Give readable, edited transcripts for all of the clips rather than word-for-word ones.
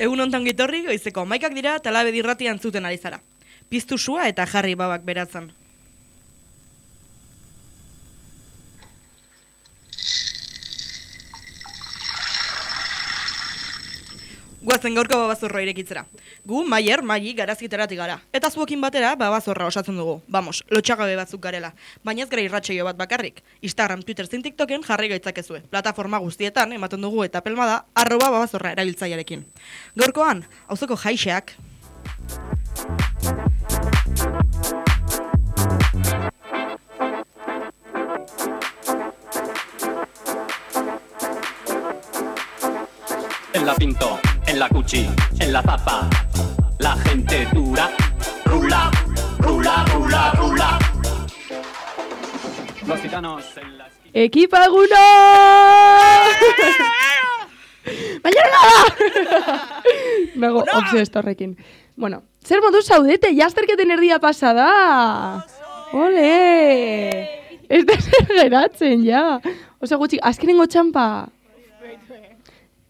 Egun ontan gitorri, goizeko 11 dira, talabe dirratian zuten ari zara. Piztu sua eta jarri babak beratzen. Guazen gaurko babazorroa irekitzera. Gu, Maili, garazkiteratik gara. Eta zuokin batera, babazorra osatzen dugu. Vamos, lotxagabe batzuk garela. Baina ez gara irratsaio bat bakarrik. Instagram, Twitter, zein TikToken jarri gaitzakezue. Plataforma guztietan, ematen dugu eta pelmada, @babazorra erabiltzailearekin. Gaurkoan, auzoko jaixeak. En la Pinto, en la Cuchi, en la Zapa, la gente dura, rula, rula, rula, rula. Los gitanos en la esquina. ¡Ekipaguna! ¡Mañana! Nago obsesto horrekin. Bueno, zer modu zaudete, jasterketen erdia pasada! Ole! Ez da zer geratzen, ja! Osa gutxi, azkenengo txampa!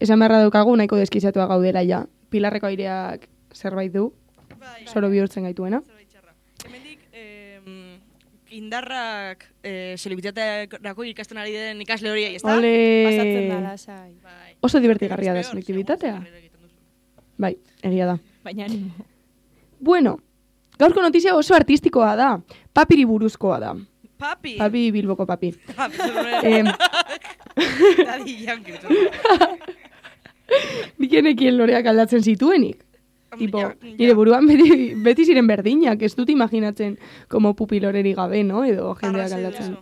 Esan beharra daukagu nahiko deskizatua gaudela, ja. Pilarreko aireak zerbait du, soro bihurtzen gaituena. Hemendik, indarrak selektibitateko ikasten ari den ikasle horiei, ezta? Ole! Pasatzen da lasai. Oso divertigarria da selektibitatea. Bai, egia da. Baina animo. Bueno, gaurko notizia oso artistikoa da. Papiri buruzkoa da. Papi! Papi, Bilboko papi. Daddy Yankee. Nikenekien loreak aldatzen zituenik. Tipo, nire buruan beti ziren berdinak, ez dut imaginatzen como pupi loreri gabe, no? Edo jendeak aldatzen.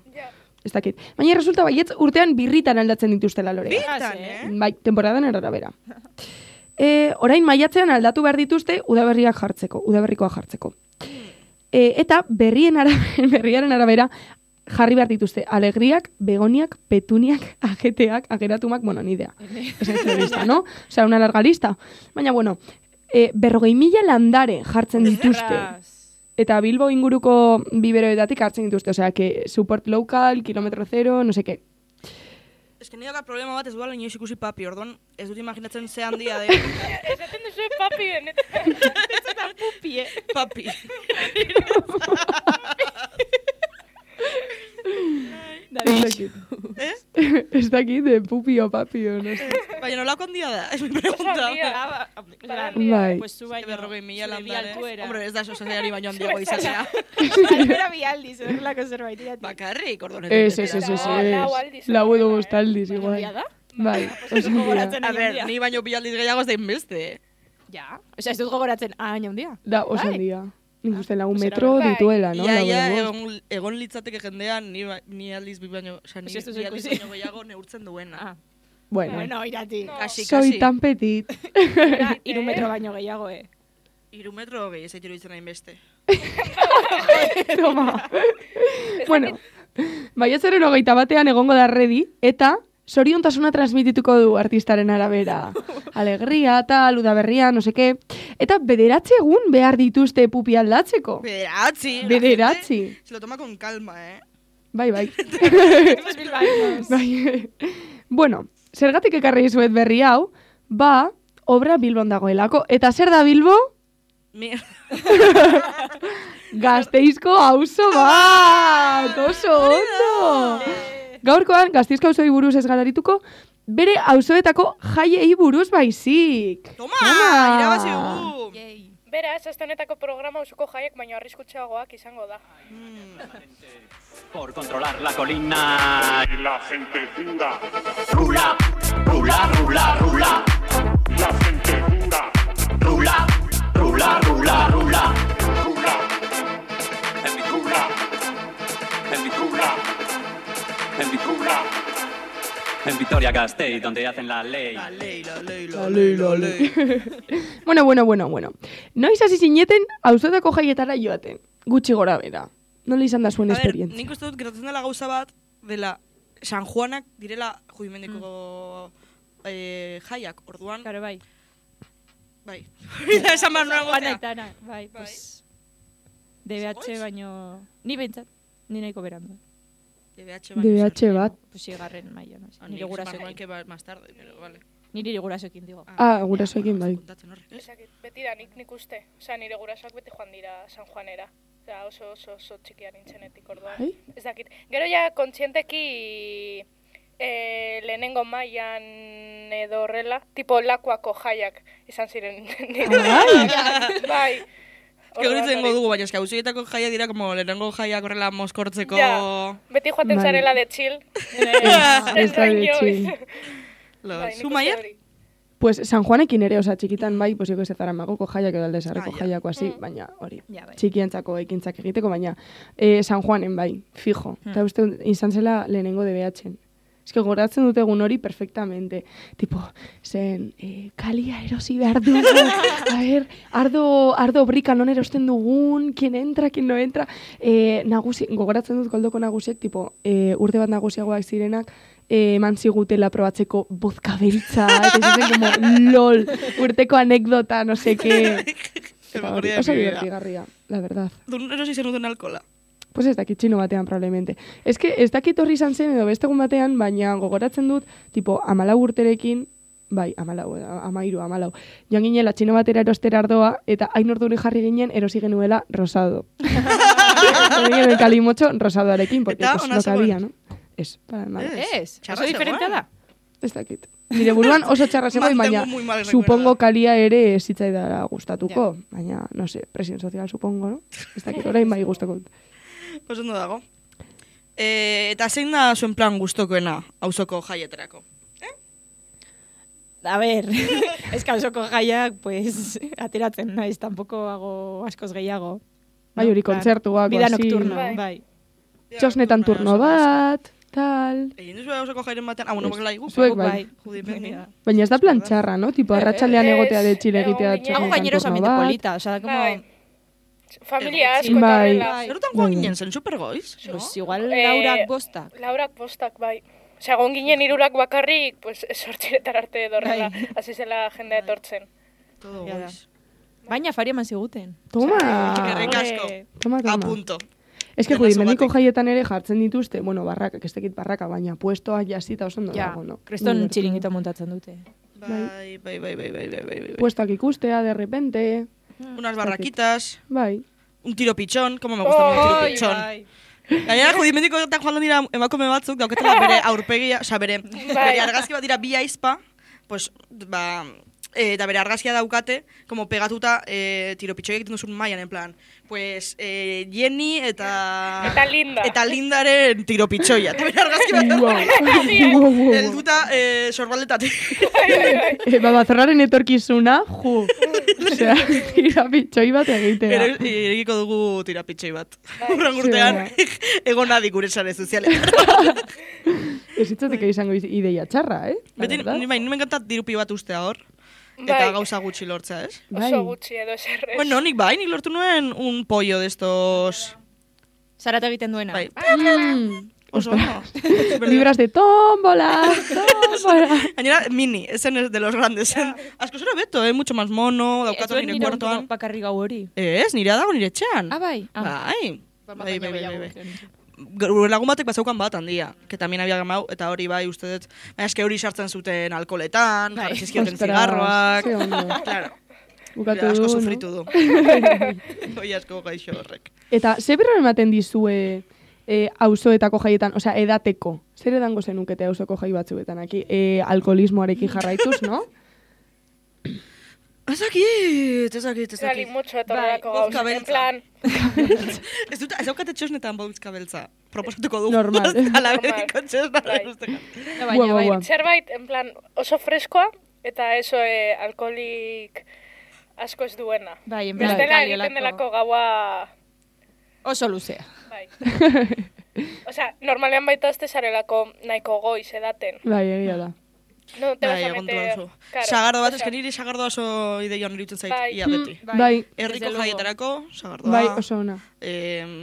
Ez dakit. Baina resulta baietz urtean birritan aldatzen dituztela loreak. Birritan, Bai, temporadan arabera. Orain maiatzean aldatu behar dituzte udaberrikoa jartzeko. Eta berriaren arabera jarri behar dituzte alegriak, begoniak, petuniak, ajeteak, ageratumak, bueno, ni idea. Esan lista, no? Osea, una larga lista. Baina, bueno, 40.000 landare jartzen dituzte. Eta Bilbo inguruko biberoetatik hartzen dituzte. Osea, que support local, kilometro zero, no sé qué. Ez que nire problema bat ez duela inoiz ikusi papi, orduan ez dut imaginatzen ze handia de. Esaten duzu papi benetan. Ez eta pupi, Papi. Ez dakit, de pupi o papi o no sé. Baina nolako handia da, es mi pregunta. Bai. Pues zu baino. 40.000 landare. Hombre, ez da sozaiari baino handiago izatea. Altuera bi aldiz, horrelako zerbait. Bakarrik, orduan Ez. Lau edo bostaldiz, igual. Handia da? Bai, oso handia. A ver, ni baino bi aldiz gehiago ez da inbeste. Ja. Osea, ez dut gogoratzen, hain handia. Da, oso handia. Nik uste lagun Pues metro bai. dituela, no? Ia, egon litzateke jendean, ni aldiz bi baino, oza, ni Ez duzu bi aldiz ikusi. baino gehiago neurtzen duena. Bueno, irati. Kasi. soy tan petit. 3 metro baino gehiago, 3 metro gehi ez aitero ditzen hain beste. Toma. Bueno, maiatzaren 21 egongo da ready, eta zoriontasuna transmitituko du artistaren arabera. Alegria, tal, udaberria, no seke. Eta 9 egun behar dituzte pupi aldatzeko. Bederatzi. Se lo toma con calma, Bai. Bai. Bueno, zergatik ekarri izuet berri hau, obra Bilbon dagoelako. Eta zer da Bilbo? Gasteizko auzo bat! Oso ondo! Gaurkoan, Gasteizko auzoi buruz ez gararituko, bere auzoetako jaiei buruz baizik. Toma! Irabazi dugu! Beraz, azte honetako programa auzuko jaiek baino arriskutsuagoak izango da. Por controlar la colina. Y la gente dura, Rula, rula, rula, rula. la gente dura, Rula, rula, rula, rula. dura, En mi dura, en mi dura, en mi dura. En Vitoria Gasteiz, donde hacen la ley. La ley. Bueno. Noiz hasi zineten auzoetako jaietara joaten. Gutxi gora bera. Nola izan da zuen A ver, esperientzia? nik uste dut gertatzen dela gauza bat, dela San Juanak direla judimendiko jaiak, orduan. Claro, bai. Bai. Esan behar nuen Juana gozea. Itana, bai, pues... DBH baino... Ni behintzat, ni nahiko berandu. DBH DBH bat. Pues sigarren maia, no sé. Nire Nire gurasoekin gurasoekin. que más tarde, pero vale. Niri gurasoekin digo. Gurasoekin bai. Kontatzen horrek, ez? Ezakit, beti da nik uste. Osea, nire gurasoak beti joan dira San Juanera. Osea, oso txikia nintzenetik orduan. Bai? Ez dakit. Gero ja kontzienteki lehenengo mailan edo horrela, tipo lakuako jaiak izan ziren. Bai. Geuritzen dugu, baina eska, auzoietako jaia dira, como lehenengo jaiak horrela moskortzeko... Ja, beti joaten Bai. zarela de chill. Ez da de chill. Zu, Maier? Pues San Juanekin ere, osa, txikitan bai, pues joko ez Zaramagoko jaiak edo Aldezarreko jaiako hasi, baina hori, Ja, bai. txikientzako ekintzak egiteko, baina San Juanen bai, fijo. Eta uste izan zela lehenengo DBH-en. Ez que goratzen dut egun hori perfectamente. Tipo, zen, kalia erosi behar du. A ver, ardo brika non erosten dugun, quien entra, quien no entra. Nagusi, gogoratzen dut goldoko nagusiek, tipo, urte bat nagusiagoak zirenak, eman zigutela probatzeko vodka beltza, eta izaten como, lol, urteko anekdota, no sé qué. Eta hori, oso divertigarria, la verdad. Dun erosi zenuten alkola. Pues ez dakit txino batean, probablemente. Ez que ez dakit horri izan zen edo beste egun batean, baina gogoratzen dut, tipo, 14 urterekin, bai, 13, joan ginela txino batera erostera ardoa, eta hain orduri jarri ginen erosi genuela rosado. Jarri genuen kalimotxo rosadoarekin, porque Eta, pues, ona no zegoen? cabía, no? Ez, para nada. Ez, Txarra oso diferentea zegoen. da. Ez dakit. Nire buruan oso txarra zegoen, baina Mantengo muy mal recuerdo. supongo kalia ere ez zitzaidara gustatuko. Baina, no sé, presión social supongo, no? Ez dakit, orain bai gustako. Oso ondo dago. Eta zein da zuen plan gustokoena auzoko jaietarako? A ver, eskalsoko jaiak, pues, ateratzen naiz, tampoco hago askoz gehiago. Bai, hori kontzertuak, Vida así. nocturna, Bai. bai. Txosnetan turno bat, tal... Egin duzu auzoko jairen batean, bueno, bakela igu. Zuek bai. Judimeni. Baina ez da plan txarra, no? Tipo, arratsaldean egotea de txile egitea Egon Hago txosnetan gaineros turno ambiente bat. polita, o sea, como... Bai. Familia asko eta Bai. horrela. Zerutan joan ginen zen supergoiz, no? Pues igual laurak bostak. Laurak postak, bai. Osea, egon ginen hirurak bakarrik, pues, 8 arte edo horrela. Bai. Hasi zela jendea etortzen. Todo Ja da. goiz. Baina faria eman ziguten. Toma! Eskerrik asko. Toma, A toma. punto. Ez que Demazo judimendiko batek. jaietan ere jartzen dituzte, bueno, barrakak, ez tekit barraka, baina puestoak jasita oso ondo Ja, dago, no? kreston Divertido. txiringito montatzen dute. Bai. Puestoak ikustea, de repente, Unas barraquitas, bai. un tiro pichón, como me gusta un tiro Oi, pichón. bai. Gainera, judimendikoetan joan dira emakume batzuk, dauketela bere aurpegia, osea, bere argazki bat dira bi aizpa, pues, ba, eta bere argazkia daukate, como pegatuta tiro pitxoi egiten duzun mailan, en plan, pues, Jenny eta Linda. Eta Lindaren tiro pitxoia. Eta bere argazki bat Wow. helduta sorbaldetatik. Babazorraren etorkizuna, ju. Osea, tirapitxoi bat egitea. Egiko dugu tira pitxoi bat. Bai. Urran urtean, egon adi gure sare sozialetan. Ez itzatik izango ideia txarra, La Beti, verdad. ni me encanta dirupi bat ustea hor. Eta Bai. gauza gutxi lortzea, ez? Bai. Oso gutxi edo eserrez. Bueno, nik lortu nuen un pollo de estos... Zarata egiten duena. Bai, Oso, oso. libras de tómbola, tómbola. Gainera, mini, esen es de los grandes. Asko zera beto, mucho más mono, Ez daukatu duen nire nire kuartoan. bakarrik gau hori. Ez, nire dago nire etxean. Ah, bai. Bai. Gure lagun batek bazaukan bat handia, que también había gamau, eta hori bai uste dut, baina eske hori sartzen zuten alkoletan, jarri zizkioten Ostras, zigarroak, ze ondo. claro, Bukatu asko du, sufritu no? du. Hoi asko gaixo horrek. Eta, ze berro ematen dizue auzoetako jaietan, osea, edateko? Zer edango zenukete auzoko jai batzuetan, aquí? Alkoholismoarekin jarraituz, no? Ez dakit. Gali mucho etorrelako Bai, vodka gauz. En beltza. plan, Ez daukate txosnetan vodka beltza. Proposatuko dugu. Normal. Ala Normal. beriko txosna. Bai. Baina, bai. Guau. zerbait, en plan, oso freskoa, eta eso alkoholik asko ez duena. Bai, en plan, Bestela kaliolako. egiten delako gaua, Oso luzea. bai. Osea, normalean baita ez zarelako nahiko goiz edaten. Bai, egia da. No te vas Bai, a egon meter... duzu. Claro, Sagardo bat, osea, eske niri sagardo oso ideia hon irutzen zait, Bai. ia beti. Bai, Herriko desde luego. jaietarako, sagardoa. bai, oso ona.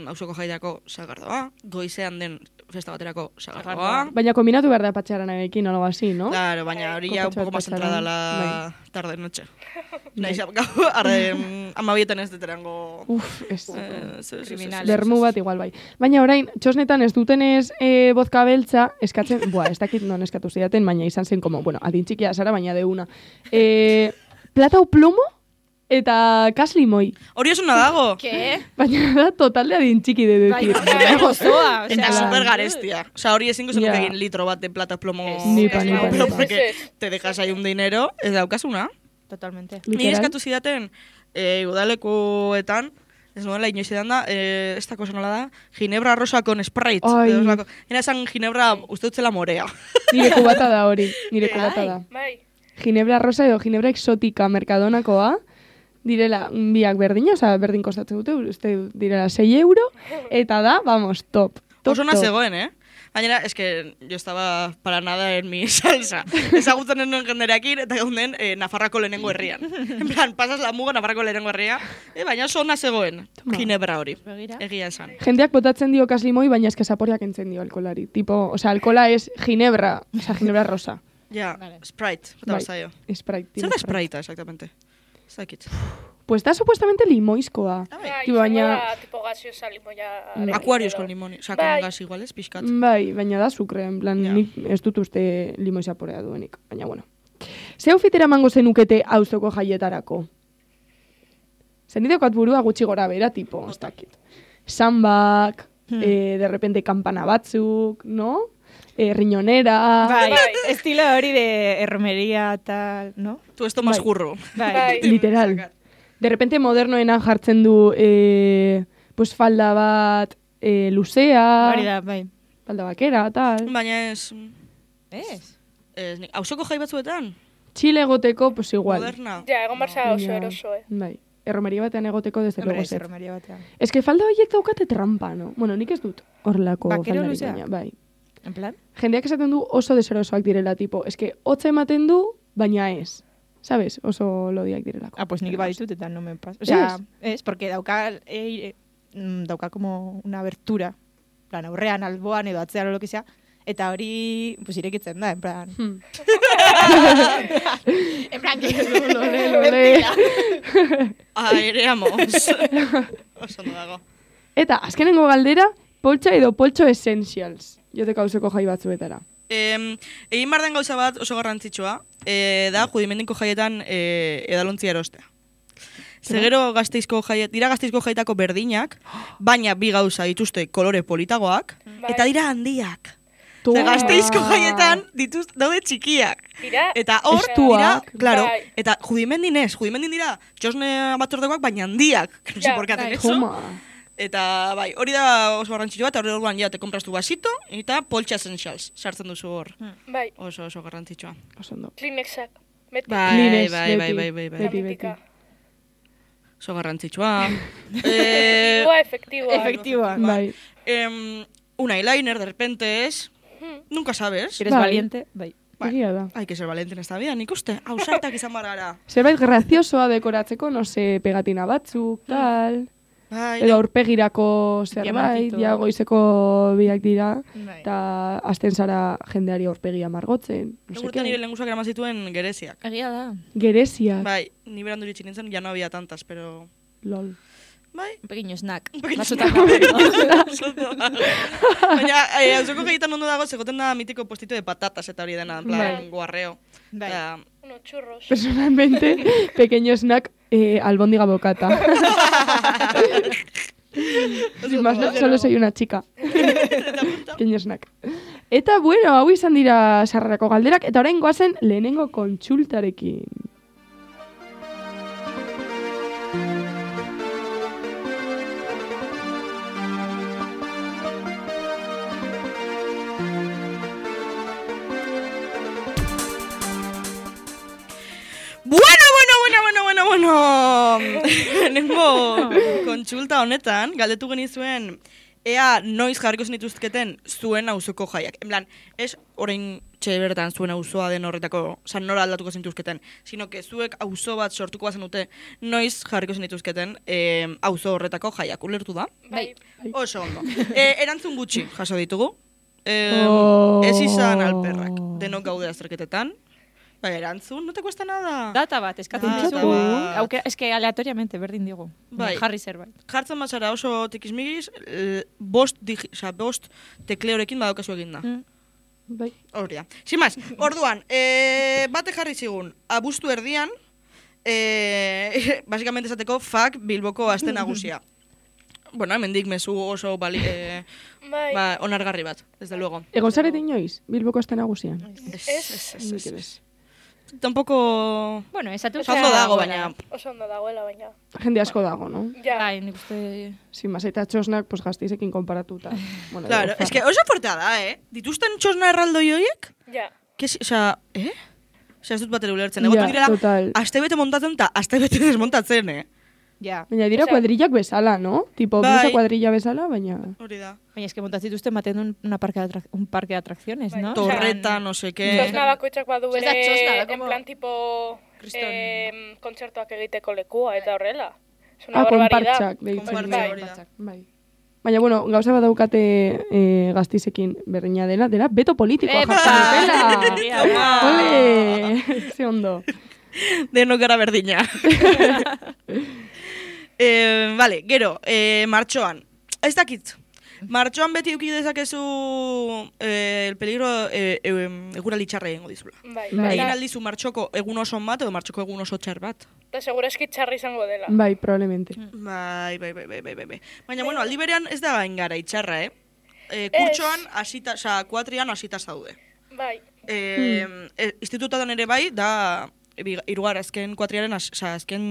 auzoko jaiako sagardoa, goizean den festa baterako sagardoa. Baina kombinatu behar da patxaranarekin, algo así, no? Claro, baina hori ya un poco más entrada la tarde-noche. Naiz, gau, amabietan ez deterango... Uf, ez. Kriminal. Lermu bat igual bai. Baina orain, txosnetan ez dutenez vodka beltza, eskatzen, ez dakit non eskatu zidaten, baina izan zen como, bueno, adin txikia zara, baina deuna. Plata o plomo eta kas limoi. Hori esuna dago. ¿Qué? Baina da total de adin txiki de decir. Bai, gozoa. Eta super garestia. O sea, hori ezingo zenuke egin litro bat de plata plomo. Nipa. Porque te dejas ahí un dinero, ez daukasuna. Totalmente. Ni eskatu zidaten, udalekuetan, ez nuela inoiz edan da, ez dako nola da, ginebra rosa con Sprite. Era esan ginebra uste dutzela morea. Nire kubata da hori, nire kubata da. Bai. Ginebra rosa edo ginebra exotika merkadonakoa, direla biak berdina, oza, berdin kostatzen dute, uste direla 6 euro, eta da, vamos, top. Oso na zegoen, Gainera, es que yo estaba para nada en mi salsa. Ezagutzen nuen jenderekin, eta gaunden Nafarrako lehenengo herrian. En plan, pasas la muga Nafarrako lehenengo herria, baina oso na zegoen, ginebra hori, egia esan. Jendeak botatzen dio kaslimoi, baina eske zaporeak entzen dio alkolari. Tipo, o sea, alkola es ginebra, o sea, ginebra rosa. Ja, Sprite, bota bazaio. Sprite. Zer da Sprite, exactamente? Zakit. Pues da supuestamente limoizkoa. Bai, Tipo, baina... tipo gaseosa limoia... Aquarios con limón, o sea, con gas igual, es pixkat. Bai, baina da sukre, en plan, nik ez dut uste limoi zaporea duenik, baina bueno. Ze outfitera emango zenukete auzoko jaietarako? Zenidekoat burua gutxi gora bera, tipo, ez dakit. Sambak, de repente kampana batzuk, no? Riñonera... Bai, estilo hori de erromería, tal, no? Tu esto más jurro. Bai. Literal. De repente modernoenan jartzen du pues falda bat luzea, Hori da, bai. falda bakera, tal. Baina ez... Ez? Auzoko jai batzuetan? Txile egoteko, pues igual. Moderna. Ja, egon barza oso Baina, eroso, Bai, erromeria batean egoteko desde luego Ez, zet. erromería batean. Ez que falda horiek daukate trampa, no? Bueno, nik ez dut horrelako Bakero faldarik luzea? baina, bai. En plan? Jendeak esaten du oso deserosoak direla, tipo, eske hotza ematen du, baina ez. ¿Sabes? Oso lodiak direlako. Ah, pues nik baditut eta no me pasa. O sea, es porque dauka como una abertura. En plan, aurrean, alboan edo atzean o lo que sea. Eta hori, pues irekitzen da, en plan... En plan, Lole. Aireamos. Oso no dago. Eta, azkenengo galdera, poltsa edo poltso essentials. Joteko auzoko jai batzuetara. Egin behar den gauza bat oso garrantzitsua, da judimendiko jaietan edalontzia erostea. Zegero Gasteizko jaiet, dira Gasteizko jaietako berdinak, baina bi gauza dituzte kolore politagoak, eta dira handiak. Ze Gasteizko jaietan daude txikiak. Dira? Eta hor, Estuak. dira, claro, Bai. eta judimendin dira txosne batzordekoak, baina handiak. No sé Ja, por qué hacen bai. eso. Toma. Eta bai, hori da oso garrantzitsua, eta hori orduan ja te compras tu vasito, eta poltsa essentials sartzen duzu hor. Bai, Oso garrantzitsua. Oso ondo. Kleenexak. Beti. Kleenex, Bai. beti. Politika. Oso garrantzitsua. Efektiboa. Efektiboa. Bai. Un eyeliner, de repente, es... Nunca sabes. Si eres Bai. valiente, bai. Egia da. Hay que ser valiente en esta vida, nik uste. Ausartak izan bar gara. Zerbait graziosoa dekoratzeko, no sé, pegatina batzuk, tal... Bai, Edo aurpegirako zerbait, Diamantito. ja goizeko biak dira, Bai. eta hasten zara jendeari aurpegia margotzen. No sé Egurten nire qué. lengusak eraman zituen gereziak. Egia da. Gereziak, Bai, ni berandu iritsi nintzen, ya no había tantas, pero... lol. Bai, Un pequeño snack. Un pequeño Basotako. baina, auzoko jaietan ondo dago, zegoten da mitiko postito de patatas eta hori dena, en plan, Bai. guarreo. Bai. Eta, Uno churros. Personalmente, pequeño snack, albóndiga bocata. Sin más, no, solo soy una chica. Pequeño snack. Eta, bueno, hau izan dira sarrerako galderak, eta orain goazen lehenengo kontsultarekin. Bueno. Lehenengo kontsulta honetan, galdetu genizuen, ea noiz jarriko zenituzketen zuen auzoko jaiak. En plan, ez orain etxe bertan zuen auzoa den horretako, oza, nora aldatuko zintuzketen, sino que zuek auzo bat sortuko bazen dute, noiz jarriko zinituzketen auzo horretako jaiak, ulertu da? Bai. Oso ondo. Erantzun gutxi jaso ditugu. Ez izan alperrak. Denok gaude azterketetan. Bai, erantzun, no te cuesta nada. Data bat, eskatzen Data dizugu. bat. Eske aleatoriamente berdin digu. Bai. Jarri zerbait. Jartzen bazara oso tikismigis, bost tekleorekin badaukazu eginda. Bai. Hori da. Sin más, orduan, bate jarri zigun, abuztu erdian, básicamente esateko FAK Bilboko aste nagusia. Bueno, hemendik mezu oso Bai. onargarri bat, desde luego. Egon zarete inoiz, Bilboko aste nagusian? Ez. Tampoco... Bueno, esatu Oso ondo dago, baina... Oso ondo dagoela, baina. Jende asko dago, no? Ja. Bai, nik uste... Sin más, eta txosnak, pues Gasteizekin konparatuta. Bueno, Claro, digo, es que oso fuertea da, Dituzten txosna erraldoi horiek? Ja. Osea, Osea, ez dut batera ulertzen. Ja, Egotu direla, total. astebete montatzen eta astebete desmontatzen, Ja. Baina dira Osea- kuadrillak bezala, no? Tipo, Bai. blusa kuadrilla bezala, baina... Hori da. Baina eske montatzituzte ematen un parque de atracciones, Bai. ¿no? Torreta, no sé qué. Txosna bakoitzak badu Ez da txosna, da en como- plan tipo Kriston. kontzertuak egiteko lekua eta horrela. Es una Ah, barbaridad. konpartxak, deitzen Konpartxa, dira. hori da. Bai. Baina, bueno, gauza bat daukate Gasteizekin berdina dela beto politikoa jartzen dutela. Toma! Ole! Ze ondo. Denok gara berdina. Vale, gero, martxoan. Ez dakit. Martxoan beti eduki dezakezu el peligro eguraldi txarra egingo dizula. Bai. Bai. Egin aldizu martxoko egun oso bat edo martxoko egun oso txar bat. Eta segurazki txarra izango dela. Bai, probablemente. Bai. Baina, bueno, aldi berean ez da gain gara itxarra, Kurtsoan, hasita, osea, kuatrian hasita zaude. Bai. Institututan ere bai, da hirugar azken kuatriaren, azken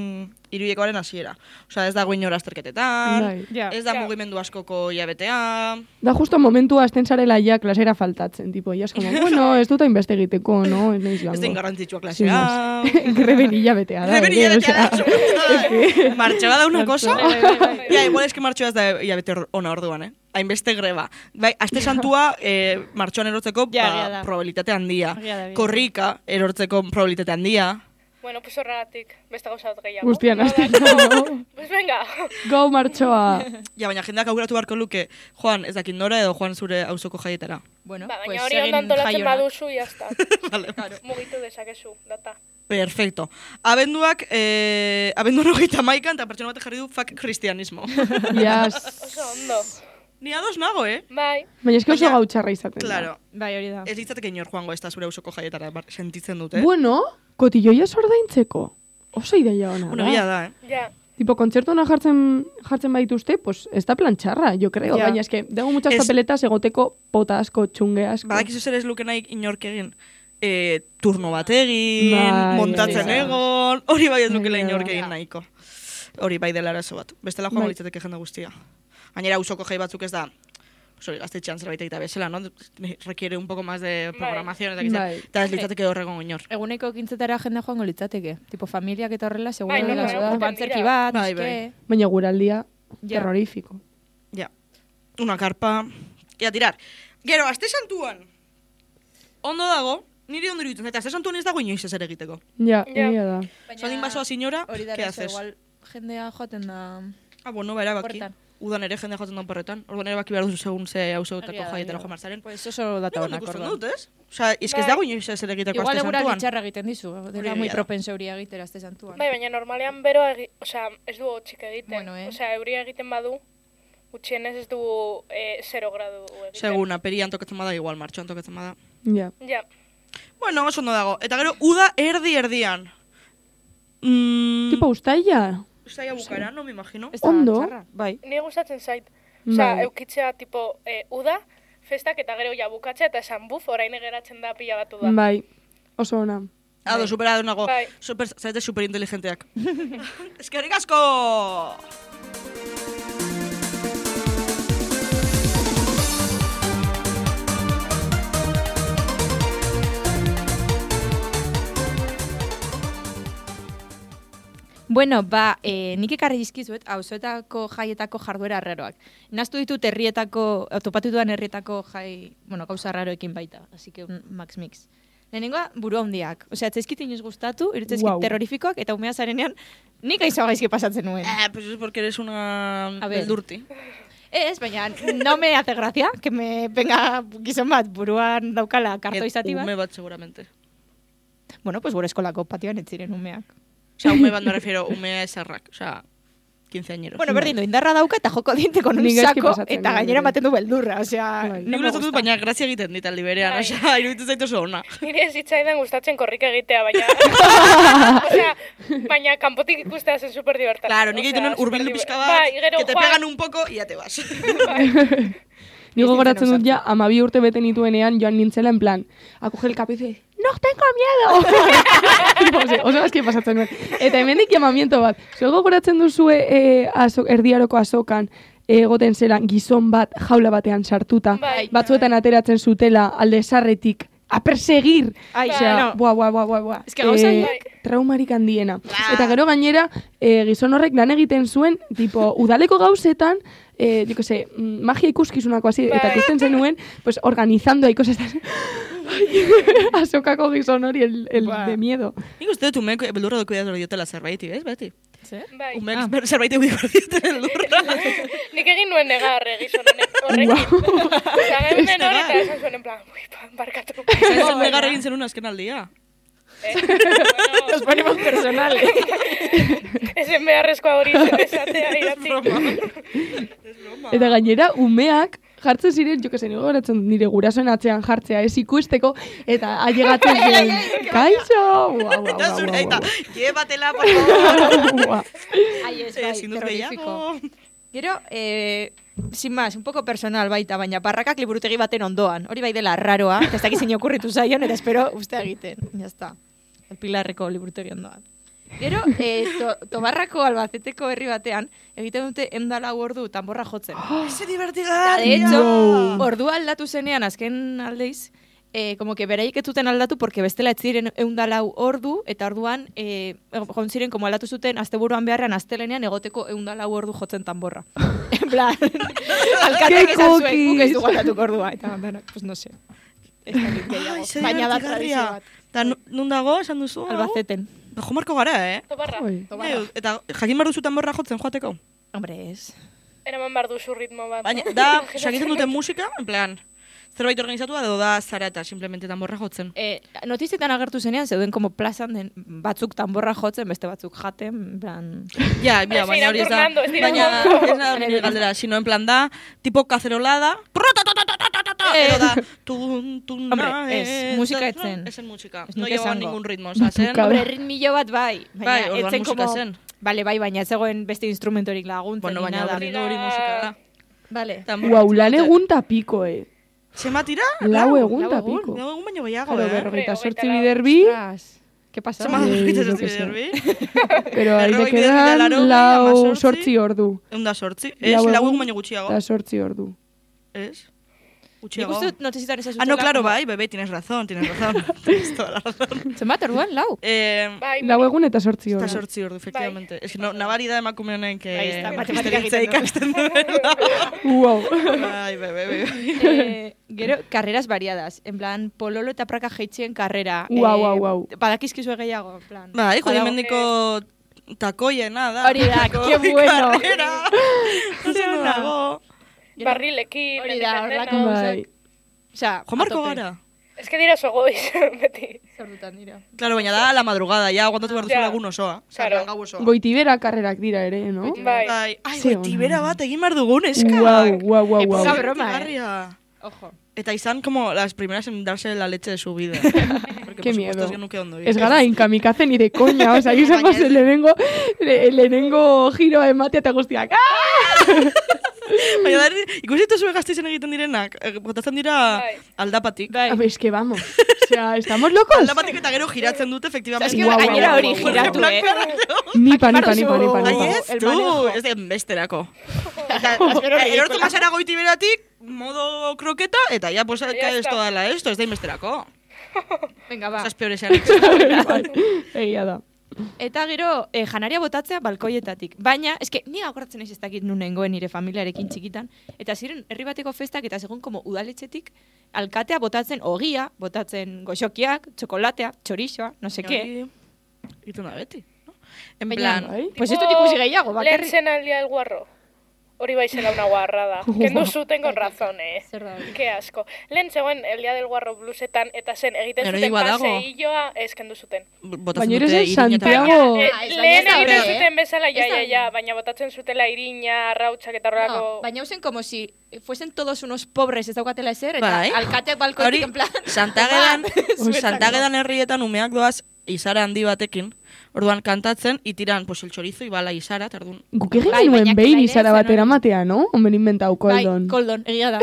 hiruiekoaren hasiera. Osea, ez dago inor azterketetan, Bai. Ja. ez da Ja. mugimendu askoko hilabetea. Da justo momentua azten zarela ja klasera faltatzen, tipo, ja como, bueno, ez dut hainbeste egiteko, no? Ez naiz Ez den joango. garrantzitsua Sin más. klasea. Greben hilabetea da. Greben ere, hilabetea osea. da. Martxoa da una cosa. Bai. Ja, igual eski martxoa ez da hilabete ona orduan, hainbeste greba. Bai, aste santua martxoan erortzeko Ja, egia da. probabilitate handia. Egia da, egia da. Korrika erortzeko probabilitate handia. Bueno, pues horregatik, beste gauza bat gehiago. Guztian No, azteko. Pues venga. Go martxoa. Ja, baina jendeak aukeratu beharko luke, Juan, ez dakit nora edo Juan zure auzoko jaietara. Bueno, Ba, pues baina hori egin ondo antolatzen jaionak. baduzu, jazta. Vale. Mugitu dezakezu, data. Perfecto. Abenduak, abenduan 31 eta pertsona batek jarri du fuck kristianismo. Yes. Oso ondo. Ni ados nago, Bai. Baina eski oso Baina- gautxarra izaten da. Claro. Bai, hori da. Ez litzateke inor joango ez da zure auzoko jaietara sentitzen dute. Bueno, kotilloia ordaintzeko. Oso ideia ona Bueno, da. egia da, Ja. Tipo, kontzertuana jartzen baituzte, pues, ez da plan txarra, yo creo. Ja. Baina eske, dago muchas Ez- papeletas egoteko pota asko, txunge asko. Badakizu zer ez luke nahi inork egin. Turno bat egin, Bai, montatzen hori da. egon, hori bai ez lukela Egia da. inork egin nahiko. Hori bai dela arazo bat. Bestela joango Bai. litzateke jende guztia. Gainera auzoko jai batzuk ez da, hori gaztetxean zerbait egita bezala, no? Requiere un poco más de programación, eta Bai. eta ez litzateke horregon inor. Eguneko ekintzetara jende joango litzateke. Tipo, familiak eta horrela, seguro Bai, dela, no, da, no, antzerki dira. bat, Bai, eske... Baina guraldia, Ja. terrorífico. Ja. Una carpa. Y a tirar. Gero, aste santuan. Ondo dago, niri ondo iruditzen, eta aste santuan ez dago inoiz ezer egiteko. Ja, Ja. egia da. Saldin basoa señora, Hori da, ¿qué eso, haces? igual jendea joaten da... Ah, bueno, ba, erabaki. Horretan. Udan ere jendea joaten da porretan. Orduan erabaki behar duzu segun ze hausotako Egia da, jaietara egia joan da. barzaren. Pues oso data Nik honak, ikusten orduan. dut, ez? Osea, ez Bai. dago inoiz ezer egiteko Igual aste eguraldi santuan. txarra egiten dizu, dela egia muy da. propenso euria egitera aste santuan. Bai, baina normalean beroa osea, ez du hotxik egiten. Bueno, Osea, euria egiten badu, gutxienez ez du 0 gradu egiten. Segun, aperian tokatzen bada, igual martxoan tokatzen bada. Ja. Ja. Bueno, oso ondo dago. Eta gero, uda erdi-erdian. Tipo, ustaila. Ustaia bukara, no me imagino. Ez da Ondo. txarra, bai. Ni gustatzen zait. Osea, Bai. eukitzea tipo uda, festak eta gero ja bukatzea eta esan buf, orain geratzen da pila batu da. Bai, oso ona. Ado, supera nago. Bai. Zarete superinteligenteak. Eskerrik asko! Bueno, nik ekarri dizkizuet, auzoetako jaietako jarduera arraroak. Naztu ditut herrietako, topatu dudan herrietako jai, gauza arraroekin baita. Así que un max mix. Lehenengoa, buru handiak. Osea, etzaizkit inoiz gustatu, irutzezkit terrorifikoak, eta umea zarenean, nik aizo gaizki pasatzen nuen. Pues es porque eres una beldurti. Ez, baina no me hace gracia que me venga gizon bat buruan daukala kartoizati bat. Ume bat, seguramente. Bueno, pues gure eskolako patioan ez ziren umeak. Osea, ume bat me refiero, umea esarrak. Osea, 15 añeros. Bueno, berdin du, indarra dauka eta joko diente con un saco eta gainera maten du beldurra. Osea, no me gusta. Baina grazia egiten dit aldi berean. Osea, iruditu zaitu oso ona. Nire ez zitzaidan gustatzen korrika egitea, baina... Osea, baina kanpotik ikustea zen super divertante. Claro, nik egiten urbildu pixka bat, que te pegan un poco y ya te vas. Nigo goratzen dut ja, 12 urte bete nituenean joan nintzela en plan, acoge el capo y dice, no tengo miedo! Oso aski pasatzen nuen. Eta hemendik llamamiento bat. Zuego goratzen duzue erdiaroko azokan, egoten zela gizon bat jaula batean sartuta, batzuetan ateratzen zutela alde sarretik, a perseguir! Osea, buah. Ez que gauza traumarik handiena. Eta gero gainera, gizon horrek lan egiten zuen, tipo, udaleko gauzetan, yo que sé, magia ikuskizunako así, eta ikusten zenuen, pues organizando, hay cosas azokako gizon hori, el de miedo. Nik uste dut umeek beldurra doku diotela zerbaiti, ez, beti? Bai. Umeek zerbaiti udiko diotela beldurra. Nik egin nuen negar gizon horrekin. Osea, gehun den hori eta esan zuen en plan, barkatu. Zer negar egin zenun azken aldia. Nos ponemos personales. Ezen beharrezkoa hori esatea iratzi. Eta gainera, umeak jartzen ziren, jo que se gogoratzen nire gurasoen atzean jartzea ez ikusteko, eta ailegatzen ziren, kaixo! Eta zure, eta, llevatela, por favor! Ai, ez, bai, terrorífico. Gero, sin más, un poco personal baita, baina barrakak liburutegi baten ondoan. Hori bai dela raroa, eta ez dakiz zein okurritu zaion, eta espero uste egiten. Ya está. El Pilarreko liburutegi ondoan. Gero, Tobarrako Albaceteko herri batean, egiten dute 104 ordu tanborra jotzen. Ese divertigarria! De hecho, ordua aldatu zenean, azken aldeiz, como que beraik ez zuten aldatu, porque bestela ez ziren 104 ordu, eta orduan, joan ziren, como aldatu zuten, asteburuan beharrean, astelenean, egoteko 104 ordu jotzen tanborra. En plan, alkateak esan zuen, guk ez dugu aldatuko ordua. Eta, pues no sé. Baina da tradizio bat. Eta nun dago, esan duzu? Albaceten. Jo marko gara, Tobarra. Eta jakin behar duzutan borra jotzen joateko? Hombre, ez. Eraman behar duzu ritmo bat. Baina, da, egiten duten musika, en plan, zerbait organizatua edo da zara eta simplemente tanborra jotzen. Notizietan agertu zenean, zeuden como plazan den batzuk tanborra jotzen, beste batzuk jaten, en plan... Ja, baina hori ez da, baina ez da nire galdera, sino en plan da, tipo cacerolada, edo da, Hombre, ez, musika etzen. Ezen musika, Ez no nuke llevaba esango. ningún ritmo, oza, zen... Hombre, ritmillo bat bai. Bai, orduan musika zen. Vale, bai, baina ez zegoen beste instrumentorik laguntzen, Bueno, ni baina nada. berdin hori musika da. Vale. Guau, lan egun ta piko, Zema tira? Lau egun ta piko. Lau egun baino gehiago, Claro, Hombre, 48 hogeita biderbi, Ostras, ¿qué pasa? Zema yo horritatzen qué sé. ziderbi? pero ahí te Berrogei biderbi quedan da lau 80, sortzi ordu. Eunda sortzi. Ez, lau egun baino gutxiago. Da sortzi ordu. Ez? Nik Gutxiago. uste dut notizitan ez Ah, no, claro, bai, bebé, tienes razón. Tienes toda la razón. Zenbat orduan, lau? Bai, Lau egun eta sortzi Eta ordu. sortzi ordu, efectivamente. Es que nabari da emakume honen que... Ahí está, matematika histeritza egiten du. ikasten duela. Wow. Ai, bebe. Gero, carreras variadas. En plan, pololo eta praka jeitzien karrera. Guau. Badakizkizue gehiago, en plan. Bai, jode Badago- mendiko takoiena da. Hori da, qué bueno. Karrera. Oso dago. barrilekin, Hori da, hemendik horrelako dena. Bai. gauzak. Osea, Jo marko a tope. gara. Ez que dira sogoiz, beti. Zordutan dira. Claro, baina da la madrugada, ya aguantatu behar duzu Ja. lagun osoa. Claro. Gau osoa. Goitibera karrerak dira ere, no? Bai. Ai, Ze goitibera ona. bat egin behar dugun, eska. Guau. Esa broma, Garria. Ojo. Eta izan como las primeras en darse la leche de su vida. Porque Qué por miedo. supuesto es que nuke ondo. Ez gara inkamikaze ni de coña, o sea, izango zen lehenengo giroa ematea eta guztiak. Baina da, ikusi dituzue Gasteizen egiten direnak, botatzen dira Bai. aldapatik. Bai. Es que vamos, o sea, ¿estamos locos? Aldapatik eta gero giratzen dute, efectivamente. Es que gainera hori giratu, Nipa. Ai, ez, El tu, manejo. ez den besterako. Eta, erortu masara goitiberatik, modo kroketa, eta ya, pues, que esto dala esto, ez da inbesterako. Venga, va. Esas peores eran. Egia da. Eta gero, janaria botatzea balkoietatik. Baina, eske, ni agoratzen ez dakit nun nengoen nire familiarekin txikitan. Eta ziren, herri bateko festak eta segun como udaletxetik, alkatea botatzen ogia, botatzen goxokiak, txokolatea, txorixoa, no se qué. Itu da beti, no? En Baina, plan, pues ez dut ikusi gehiago, Lehen bakarrik. zen aldia el guarro. Hori bai zela una guarrada. Kendu zuten con razón, Zer da hori? Ke asko. Lehen zegoen el día del guarro blusetan eta zen egiten Gero zuten badago. paseilloa ez kendu zuten. botatzen Baina dute ere zen irina eta- Santiago. Lehen baina ez da egiten hori, zuten bezala, Ez da hori. baina botatzen zutela irina, arrautzak eta horrelako... No, baina usen como si fuesen todos unos pobres ez daukatela ezer, eta Bai. alkateak balkoetik Hori, en plan... Santagedan herrietan umeak doaz izara handi batekin, orduan kantatzen, itiran pues el chorizo ibala izara, tardun. Guk egin Bai, genuen baina behin claire izara zen batera hori. matea, no? Omen inventau koldon. Bai, koldon, egia da.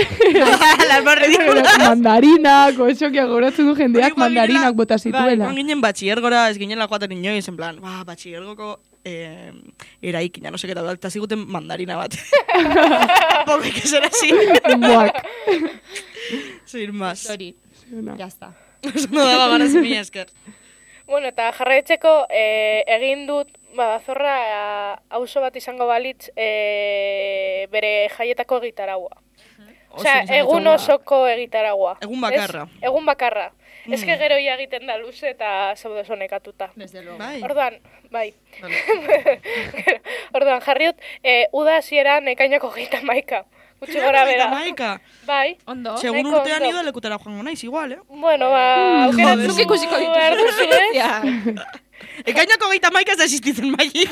Las más ridículas. Mandarinak, goxokia goratzen du jendeak Hori, ba, mandarinak ginela- bota zituela. Joan ginen batxiergora, ez ginela joaten inoiz, en plan, batxiergoko eraikina, no seke, eta ziguten mandarina bat. Porque que ser así. Buak. Sin más. Sorry, ya está. No daba ganas mi esker. Bueno, eta jarraitzeko egin dut, zorra auzo bat izango balitz bere jaietako egitaragua. Osea, egun osoko egitaragua. Egun bakarra. Ez? Egun bakarra. Ez que gero ia egiten da luze eta zaude zonekatuta. Desde luego. Bai. Orduan, bai. Vale. Orduan, jarri dut, uda hasieran ekainako 31. Gutxi gora bera. Maika. Bai. Ondo. Segun Nahiko urtean ondo. ido lekutara joango naiz, igual, Bueno, aukeratzen Zuk ikusiko behar duzu, dituzu. eh? Ekainako 31 ez da existitzen maili.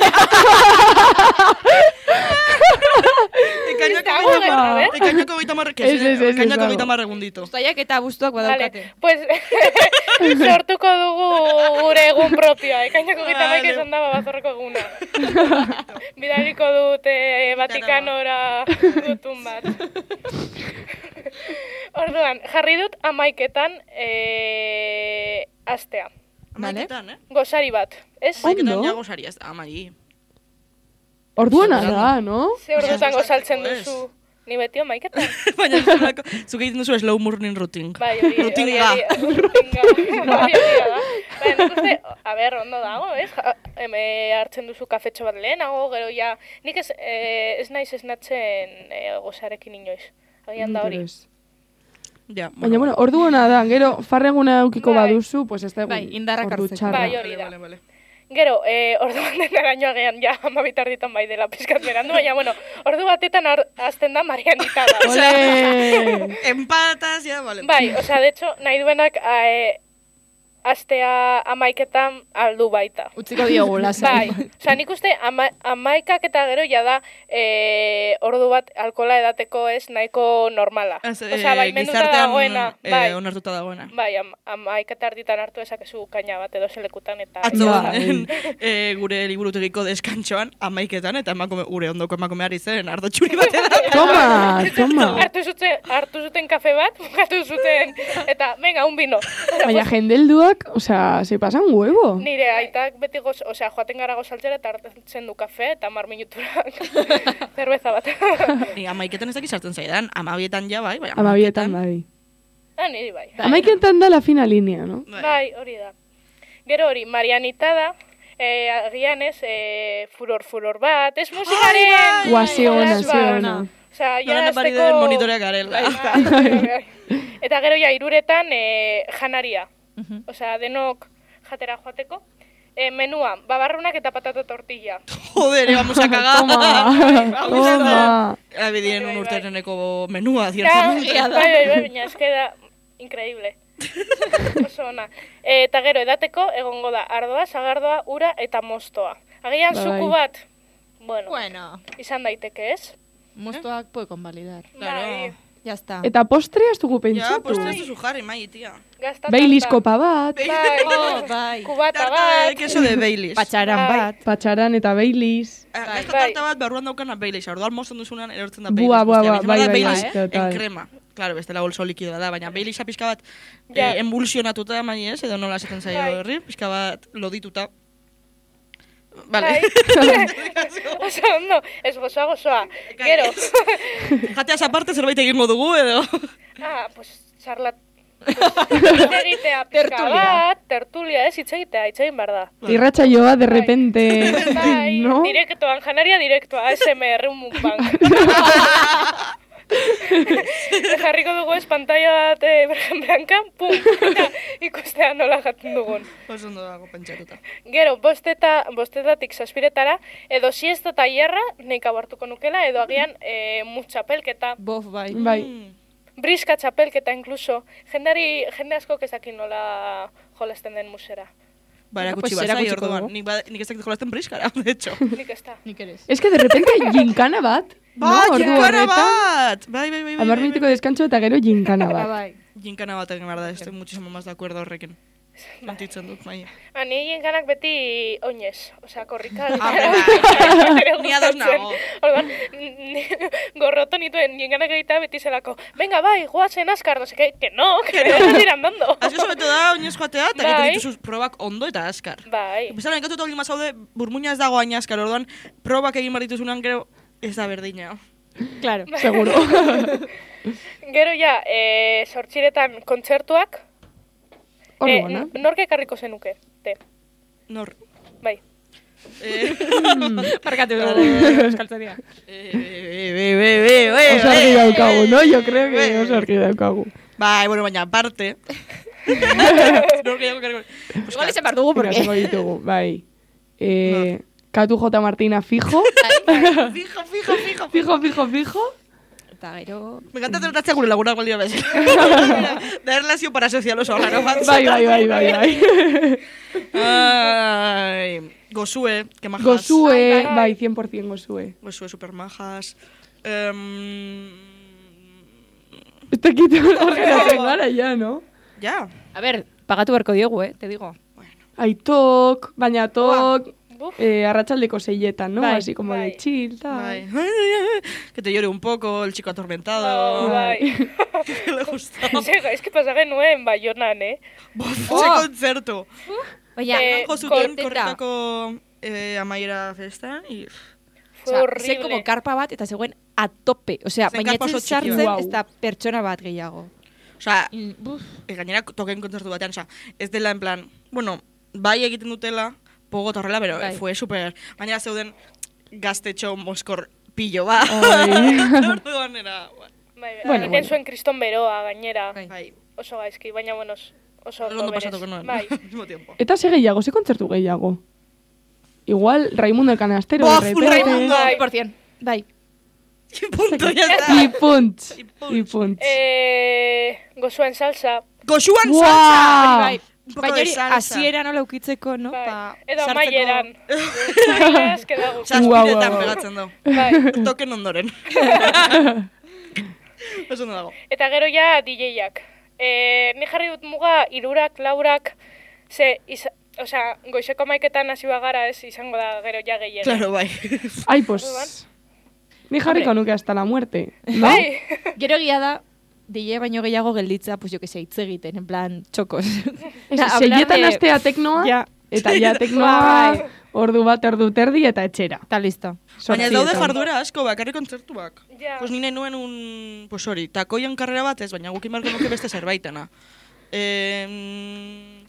Dago gerra, Ekainako 30, que Ez, ez, ez, ekainako ez dago. 30 egunditu. Uztaiak eta abuztuak Vale, badaukate. pues sortuko dugu gure egun propioa. Ekainako gita Vale. izan da bazorreko eguna. Bidaliko dut Vatikanora gutun bat. Orduan, jarri dut 11etan astea. Amaiketan, Gozari bat, ez? Amaiketan Ondo. ja gozari ez da, amai. Orduan da, no? Ze ordutan gozaltzen Ez. duzu. Ni beti 11etan. Baina zuk egiten duzu slow morning routine. Bai, hori Rutinga. rutinga. Bai, hori da. Bai, nik uste, a ber, ondo dago, ez? Hartzen duzu kafetxo bat lehenago, gero ja... Nik ez naiz esnatzen gozarekin inoiz. Agian da hori. Interes. Ja, Baina, bueno, ordu hona da, gero farreguna eukiko Bai. baduzu, pues ez da egun Bai, indarrak ordu hartzeko. txarra. Bai, hori da. Vale. Gero, orduan denaraino agian ja 12 tarditan bai dela pizkat berandu, baina, bueno, ordu batetan azten da Marianita da. Ole! Empatas, ja, vale. Bai, osea, de hecho, nahi duenak astea 11etan aldu baita. Utziko diogu, lasai. Bai, osea, nik uste 11ak eta gero ja da ordu bat alkola edateko ez nahiko normala. Osea, bai, menduta dagoena. Bai, onartuta dagoena. bai, 11 eta erditan hartu ezakezu kaina bat edo zelekutan eta... Atzo, Bai. gure liburutegiko deskantxoan, 11etan, eta gure ondoko emakumeari zen ardo txuri batera. Toma! Hartu zuten kafe bat, bukatu zuten, eta, venga, un vino. Baina jendelduak, osea, se pasan huevo. Nire aitak beti osea, joaten gara gozaltzera eta hartzen du kafe eta 10 minutura zerbeza bat. 11etan ez dakiz sartzen zaidan, 12etan ja bai, bai. 12etan, bai. Niri bai. 11etan da la fina línea, no? Bai, hori da. Gero hori, Marianita da, agian ez, furor bat, ez musikaren... Guazi ona, jolas zi bat. ona. Osea, ja Noren epari den monitoreak garela. Bai. Eta gero ja, 3etan janaria. Osea, denok jatera joateko. Menua, babarrunak eta patata tortilla. Joder, vamos a cagar. Toma! Abidien un urtereneko menua, Ja, ciertamente. bai, baina eske da increíble. Oso ona. Eta gero edateko egongo da ardoa, sagardoa, ura eta mostoa. Agian Bai. zuku bat, bueno, Bueno, izan daiteke, ez? mostoak puede convalidar. Claro. Bai, Ya está. Eta postre ez dugu Ja, pentsatu. postre ez duzu jarri, mai, tia. gazta Baileys tarta. kopa bat, Bai, Oh, bai. kubata Tarta de bat. queso de Baileys. Patxaran Bai. bat. patxaran eta Baileys. Gazta Bai. tarta bat barruan daukana Baileys. Orduan mozten duzunan erortzen da Bua, Baileys. bua, guztia. bua, Bizima bai, da bai, Baileys bai, total. en crema. Claro, bestela bolso likidoa da, baina Baileysa pixka bat Ja. emulsionatuta mai ez, edo nola esaten zaio Bai. herri, pixka bat lodituta. Vale. Bai. Oso ondo, ez gozoa. Gero. Jateaz aparte zerbait egingo dugu, edo... Pues charlat Hitz egitea pixka Tertulia. bat, tertulia, ez, hitz egin behar da. Irratsaioa de repente, Bai, no? direktoan, janaria direktoa, ASMR, un mukbang. Jarriko dugu ez pantalla bat blankan, pum, eta ikustea nola jaten dugun. Oso ondo dago pentsatuta. Gero, bostetatik zazpiretara, edo siesta tailerra, nik abartuko nukela, edo agian mutxapelketa, Bof, bai. Bai. briska txapelketa inkluso. Jende askok ezakin nola jolasten den musera. Ba, Bueno, erakutsi pues bat, zai, erakutsiko orduan. dugu. Nik ez dakit jolasten briskara, de hecho. Nik ez da. Nik ere ez. Es que de repente ginkana bat, no? Ordu Ginkana horretan, bat! Bai. 10 minutuko descanso eta gero ginkana bat. Bai. Ginkana bat egin behar da, estoy muchísimo más de acuerdo horrekin. Sentitzen dut, bai. Ni ginkanak beti oinez, osea, korrika. Ni ados nago. Orduan, gorroto nituen ginkanak egitea beti zelako, venga, bai, guazen askar, no seke, que no dira andando. Azio sobeto da, oinez joatea, eta Bai. egiten dituzuz probak ondo eta askar. Bai, Bezala, nekatu eta olima zaude, burmuina ez dago hain askar, orduan, probak egin behar dituzunan, gero, ez da berdina. Claro. Seguro. gero ja, sortxiretan kontzertuak, Orduan, nork ekarriko zenuke, te, Nor. bai. Markatu dugu euskaltzaria. Oso argi daukagu, no? Yo creo que oso argi daukagu. Bai, bueno, baina, aparte. Nor gehiago karriko. Igual esan behar dugu, porque... Irazengo ditugu, bai. Katu J. Martina fijo. Fijo. Eta gero... Me encanta tratatzea gure lagunak baldira bez. Da erlazio parasozial oso horrela bat. Bai. Ai, Gozue, que majas. Gozue, Bai. bai, 100% Gozue. Gozue super majas. Ez dakit horregatzen gara, ya, no? Ja. A ver, pagatu beharko diogu, te digo. Aitok, baina tok, Buf. arratsaldeko 6etan, ¿no? Bai, Así como de bai. chill, tal. Bai. Que te llore un poco, el chico atormentado. Bai. Que le gusta. Es que pasa genuen Baionan, Ze kontzertu. Baina, Jo zuten korteta. korretako amaiera festan, y... Fue Osea, horrible. zen como karpa bat eta zegoen a tope. Osea, Zen baina karpa oso etzen txiki sartzen bat. ez da pertsona bat gehiago. Osea, Buf. gainera token kontzertu batean, osea, ez dela en plan, bueno, bai egiten dutela, pogo eta horrela, pero Bai. fue super... Gainera zeuden gaztetxo moskor pillo ba. Ai. Orduan era... Bai, Bueno, egiten zuen Kriston Beroa gainera. Bai. Bai, Oso gaizki, baina bueno, oso ondo berez. pasatuko noen, Bai. al mismo tiempo. Eta ze gehiago, ze kontzertu gehiago? Igual Raimundo el Canastero, Bof, de repente. Raimundo. Bai. 100%. Bai. Y punto, ya está. Y punt. Y punt. Y punt. Gozuen salsa. Goxuan Buah. salsa! Bai. Un poco Baina de hori salsa. hasiera nola ukitzeko, no? Bai. Pa Edo sartzeko- amaieran. Zailas, que da gusto. Zazpiretan Guau. pegatzen du. Bai. Token ondoren. Eso no dago. Eta gero ja DJ-ak. Ni jarri dut muga 3, 4, osea, goizeko 11etan hasi bagara ez izango da gero ja gehiago. Claro, bai. Ay, pues... Ni jarriko nuke hasta la muerte, no? Bai. Gero egia da, DJ baino gehiago gelditza, pues jo que sé, hitz egiten, en plan, txokos. Seietan astea teknoa, Ja, eta ja teknoa ordu bat, ordu terdi eta etxera. eta listo. Baina ez daude Zortzietan. jarduera asko, bakarrik kontzertuak. Ja. Pues nire nuen un... Pues hori, takoian karrera bat ez, baina gukin marko nuke beste zerbaitena.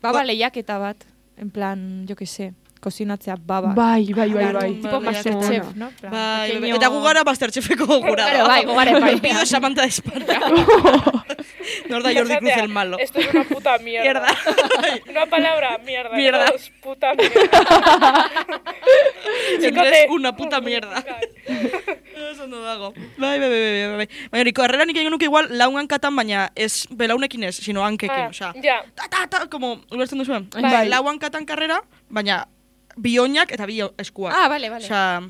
Baba lehiaketa bat, en plan, jo que sé, kozinatzea baba. Bai. Tipo Bai, Masterchef, no? En plan, Bai, pequeño- eta gu gara Masterchefeko jurado. Claro, bai, gu gara epaipean. Pido Samantha de Esparta. Nor da Jordi Cruz el malo. Esto es una puta mierda. Una palabra, mierda. Mierda. Esto es puta mierda. Siempre es una puta mierda. Eso no dago. Bai. Baina hori, karrera nik egin nuke igual laungan katan, baina ez belaunekin ez, sino hankekin. Osea, Ja. ta, como, ulertzen duzuen? Bai. Lauan katan karrera, baina bi oinak eta bi eskuak. Ah, vale. Osea,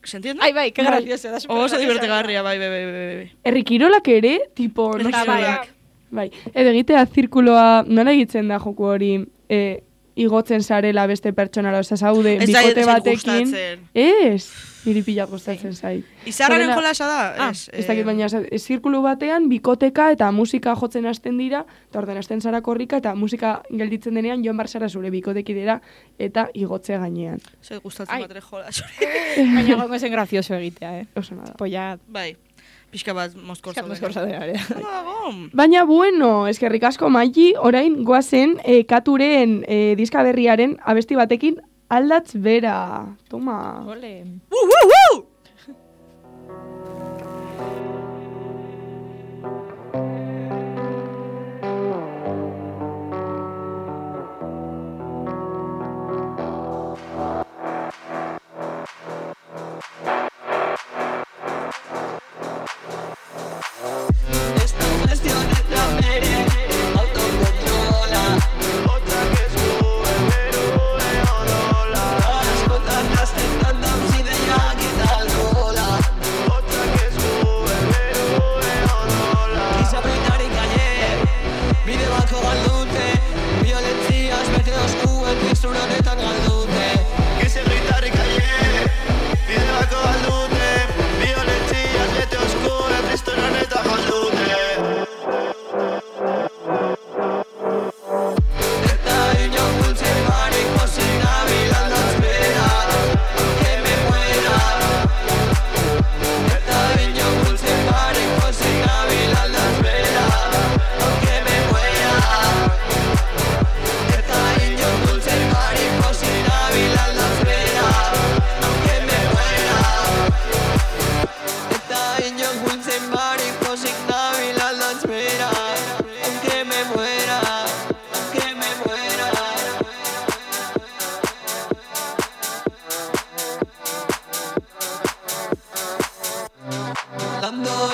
¿se entiende? Ai, bai, que Bai. gracioso, da super Oso gracioso. divertigarria, bai. Herrikirolak ere, tipo, no Herrikirolak. sé. Bai. Bai, edo egitea zirkuloa, nola egiten da joku hori, igotzen zarela beste pertsonara, oza, zaude, Ez zait- bikote ez zait batekin. gustatzen. Ez, niri pila gustatzen zait. Izarraren Horrela- jolasa da? Ez dakit, baina zirkulu batean, bikoteka eta musika jotzen hasten dira, eta orden hasten zara korrika, eta musika gelditzen denean, joan barzara zure bikotekidera, eta igotze gainean. Zait gustatzen Ai. bat ere jolas. Baina gongo zen gracioso egitea, Oso nada. Polla, Bai. Pixka bat mozkorzo. Mozkorza dena. Baina bueno, eskerrik asko Maili, orain goazen Katuren diska berriaren abesti batekin aldatz bera. Toma. Ole.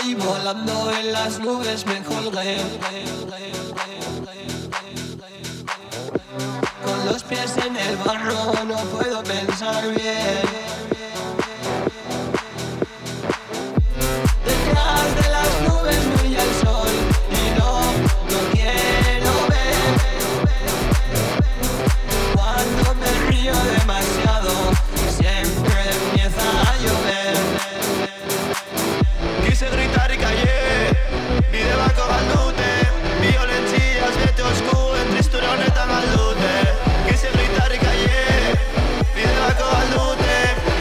Y volando en las nubes me colgué. Con los pies en el barro no puedo pensar bien. Detrás de las nubes brilla el sol y no quiero ver. Cuando me río demasiado siempre empieza a llover. Quise gritar y callé, mi debaco galdute, violencias, vete oscuro, en tristura neta galdute. Quise gritar y callé, mi debaco galdute,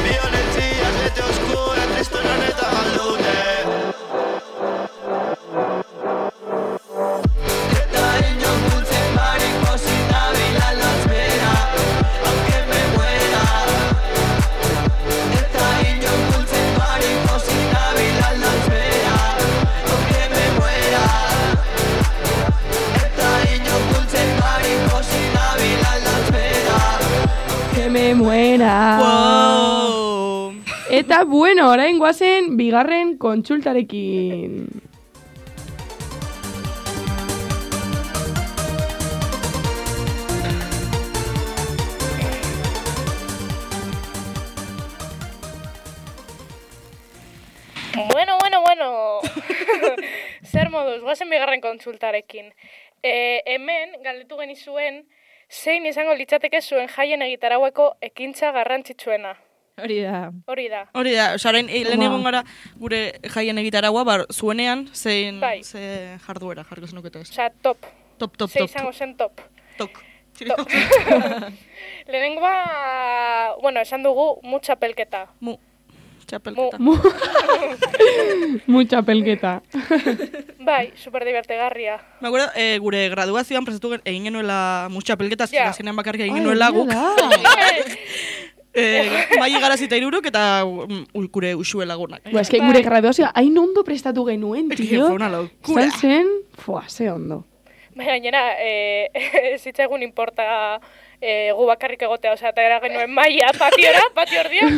violencias, vete oscuro, en tristura neta galdute. Eta inon dulce mariposita bila la espera, aunque me muera. Eta inon dulce mariposita bila la espera, aunque me muera. Eta inon dulce mariposita bila la espera, Que me muera. Wow. Eta bueno, orain goazen bigarren kontsultarekin. Bueno. Zer moduz, goazen bigarren kontsultarekin. Hemen, galdetu genizuen, zein izango litzateke zuen jaien egitaraueko ekintza garrantzitsuena. Hori da. Hori da. Hori da, osaren, lehen egon gara gure jaien egitaragua, zuenean, zein Bai. ze jarduera jarko zenukete ez. Osea, top. Top. Ze izango zen top. Tok. Top. Lehenengoa, bueno, esan dugu, txapelketa. Txapelketa. Mucha pelketa. Bai, super divertigarria. Me acuerdo, gure graduazioan prestatu egin genuela txapelketa, Ja. azkenean bakarrik egin genuela guk. Maili Garazita iruruk eta gure usue lagunak. Ba, eske gure graduazioa hain ondo prestatu genuen, tio. Fue una locura. Izan zen, ze ondo. Baina gainera, zitzaigun importa gu bakarrik egotea, osea, eta era genuen maia patio erdian,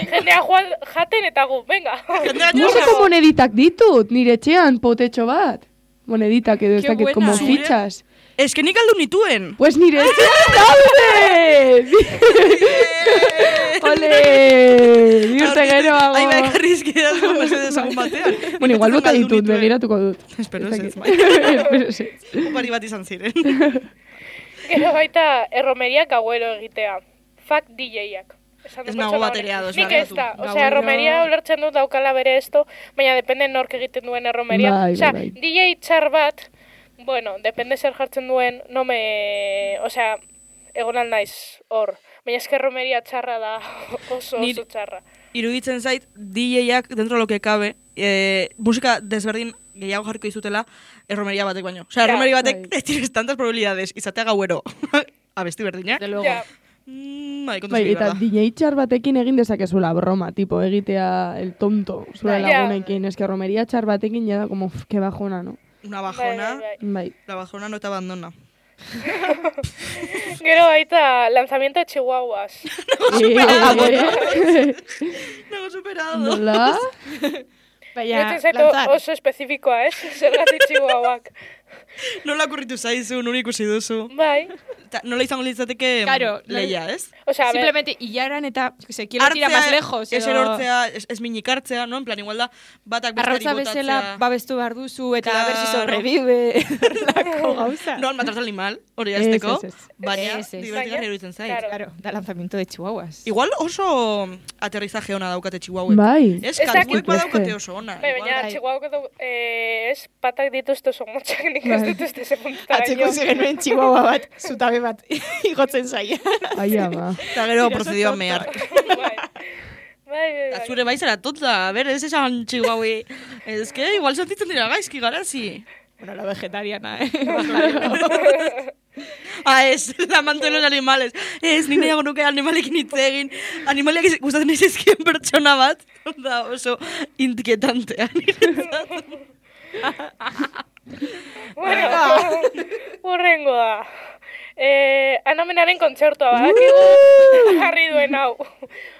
jendea jaten eta gu, venga. Museko moneditak ditut, nire etxean potetxo bat. Moneditak edo ez Qué dakit, buena. como Zure? fichas. Ez que nik aldu nituen. Pues nire etxean daude! Ole! Biurte geroago. Ai, bakarrizki da zuen mesedez agun batean. Bueno, igual bota Galdu ditut, nituen. begiratuko dut. Espero Ez ez dakit. bai. Espero ez. Opari bat izan ziren. Gero baita erromeriak gauero egitea. Fuck DJ-ak. Esan Ez dut nago pertsona bateria hori. ados, Nik barkatu. ez da. Osea, Gauero- erromeria ulertzen dut daukala bere esto, baina depende nork egiten duen erromeria. Bai, Osea, bai. DJ txar bat, bueno, depende zer jartzen duen, egon al naiz hor. Baina eske erromeria txarra da oso Nire- txarra. iruditzen zait, DJ-ak dentro lo que cabe, musika desberdin gehiago jarriko dizutela erromeria batek baino. Osea, erromeria batek tienes tantas probabilidades izatea gauero abesti berdinak. De luego. Ja. Kontu Bai, zuri eta berda. DJ txar batekin egin dezakezula broma, tipo, egitea el tonto, zure Bai. lagunekin. Ez que romeria txar batekin ya da como, que bajona, no? Una bajona, Bai. la bajona no te abandona. Gero baita lanzamiento de chihuahuas. Nago superado. Nola? Baina, Iruditzen zait lanzar. oso espezifikoa, ez? Zergatik chihuahuak. Nola kurritu zaizu, nuri ikusi duzu. Bai. Nola izango litzateke Claro, leia, ez? Osea, a ver, Simplemente hilaran eta, quiero tirar más lejos. ez edo- erortzea, ez minik hartzea, no? En plan, igual da, batak besteari Arrautza bezala botatzea. babestu behar duzu eta Claro. a ver si sobrevive. Lako gauza. No, al matar al animal, hori Ez, azteko, ez, ez. baina Ez, ez. divertigarri iruditzen zait. Claro. Claro, da lanzamiento de chihuahuas. Igual oso aterrizaje ona daukate chihuahuek. Bai. Ez, Ez kantuek dakit. badaukate oso ona. bai, baina bai. chihuahuak edo, ez, patak dituzte oso motxak, nik ez dituzte ze puntara. Atzeko genuen chihuahua bat, zutabe bat, igotzen zaia. Ai, ama. Eta gero procedió a mear. Bai. Bai. Zure bai zara tonta, a ber, ez esan chihuahui. Ez que igual sentitzen dira gaizki garazi. Bueno, la vegetariana, Ah, ez, la amante de los animales. Ez, nik nahiago nuke animalekin hitz egin. Animaliak gustatzen izizkien pertsona bat. Da oso inquietantea. Bueno, hurrengoa. Anamenaren kontzertua badakigu jarri duen hau.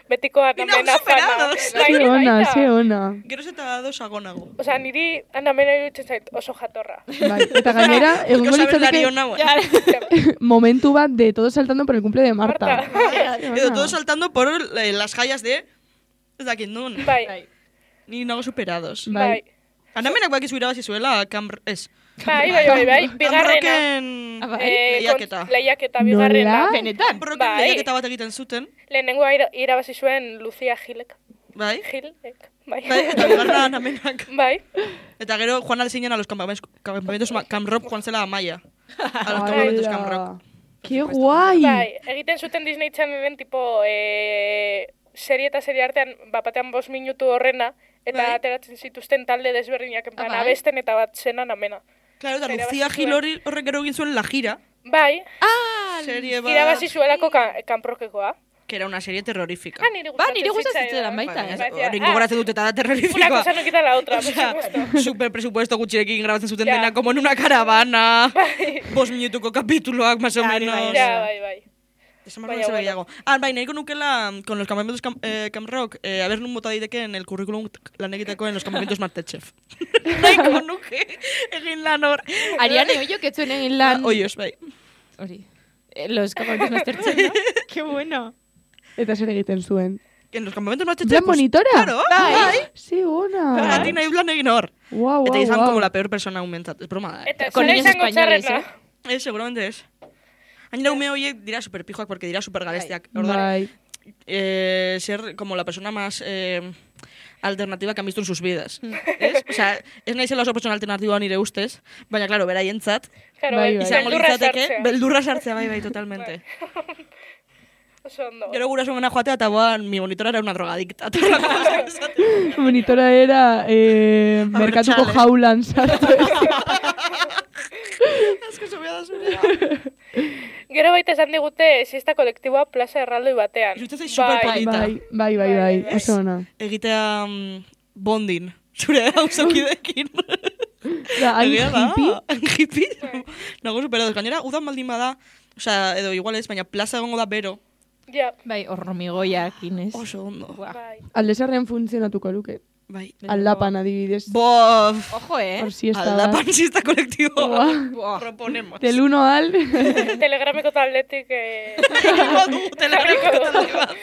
Betiko anamena fana. Ze ona, ze ona. Geroz eta dosagonago. Osea, niri anamena iruditzen zait oso jatorra. Bai, eta gainera, egongo litzateke momentu bat de todos saltando por el cumple de Marta. Edo todos saltando por las jallas de... Ez dakit nun. Bai, Ni nago superados. bai. Anamenak bakizu irabazi zuela, ez. Bai, bigarrena. Ah, bai? Lehiaketa. Lehiaketa bigarrena. Nola? Benetan. Camrocken Bai. lehiaketa bat egiten zuten. Lehenengoa irabazi zuen Lucia Gilek. Bai. Gilek, bai. Bai, eta bigarrena anamenak. Bai. Eta gero Juan alzinen a los campamentos Camrock Juan zela a Maya. A los campamentos Camrock. Qué guai. Bai, egiten zuten Disney Channelen tipo serie eta serie artean bapatean 5 minutu horrena eta Bai. ateratzen zituzten talde desberdinak en plan bai? abesten eta bat zenan amena. Claro, eta Irabazi Lucía zuen. Gil horrek gero egin zuen La Gira. Bai, Serie bat... irabazi zuelako kanprokekoa. Que era una serie terrorífica. Niri nire gustatzen zitzaidan baita, Hori gogoratzen dute eta da Una terrorífica. cosa no quita la otra, por Osea, supuesto. super presupuesto gutxirekin grabatzen zuten Ja. dena, como en una caravana. 5 minutuko kapituloak, más o Bai, menos. bai, Ja, bai. Desamarro Baina, zer bueno. gehiago. Bai, nahiko nukela, con los campamentos Camrock, a ver nun bota daiteke en el currículum lan egiteko en los campamentos Masterchef. Nahiko nuke, egin lan hor. Ariane Oio, que zuen egin lan... Oios, bai. Hori. Los campamentos Masterchef, ¿no? Qué bueno. Eta zer egiten zuen. En los campamentos Masterchef... ¿Plan pues, monitora? Claro, bai. Ze ona. Gati nahi lan egin hor. Guau, Eta guau, izan guau. como la peor persona aumentat. Es broma da, Eta Con zera niños izango españoles, txarrena. seguramente es. Gainera ume horiek dira superpijoak porque dira supergalestiak. Bai. Ser como la persona más alternativa que han visto en sus vidas. ¿Es? O sea, ez naizela oso persona alternativa nire ustez, baina, claro, beraientzat, Claro, Bai, bai. izango beldurra litzateke, sartzea. beldurra sartzea, bai, totalmente. Oso ondo. Gero gurasoengana joatea eta mi monitora era una drogadicta. Monitora era merkatuko Abertzale. jaulan sartu. Asko zubia da zurea. Gero baita esan digute siesta kolektiboa plaza erraldoi batean. Iruditzen zait superpolita. Bai, oso ona. Egitea bondin, zure hausokidekin. Da, hain Egia da. hippie. Hippie. Nago superados. Gainera, udan baldin bada, osea, edo igual ez, baina plaza egongo da bero. Ja, Bai, horromigoiak, Inez. Oso ondo. bai. Aldezarrean funtzionatuko luke. Bai. Aldapan adibidez. Bof. Ojo, Por siesta Alda bat. pansista kolektibo. Buah. Proponemos. Del 1 al... Telegrameko taldetik... Egingo du, telegramiko talde bat.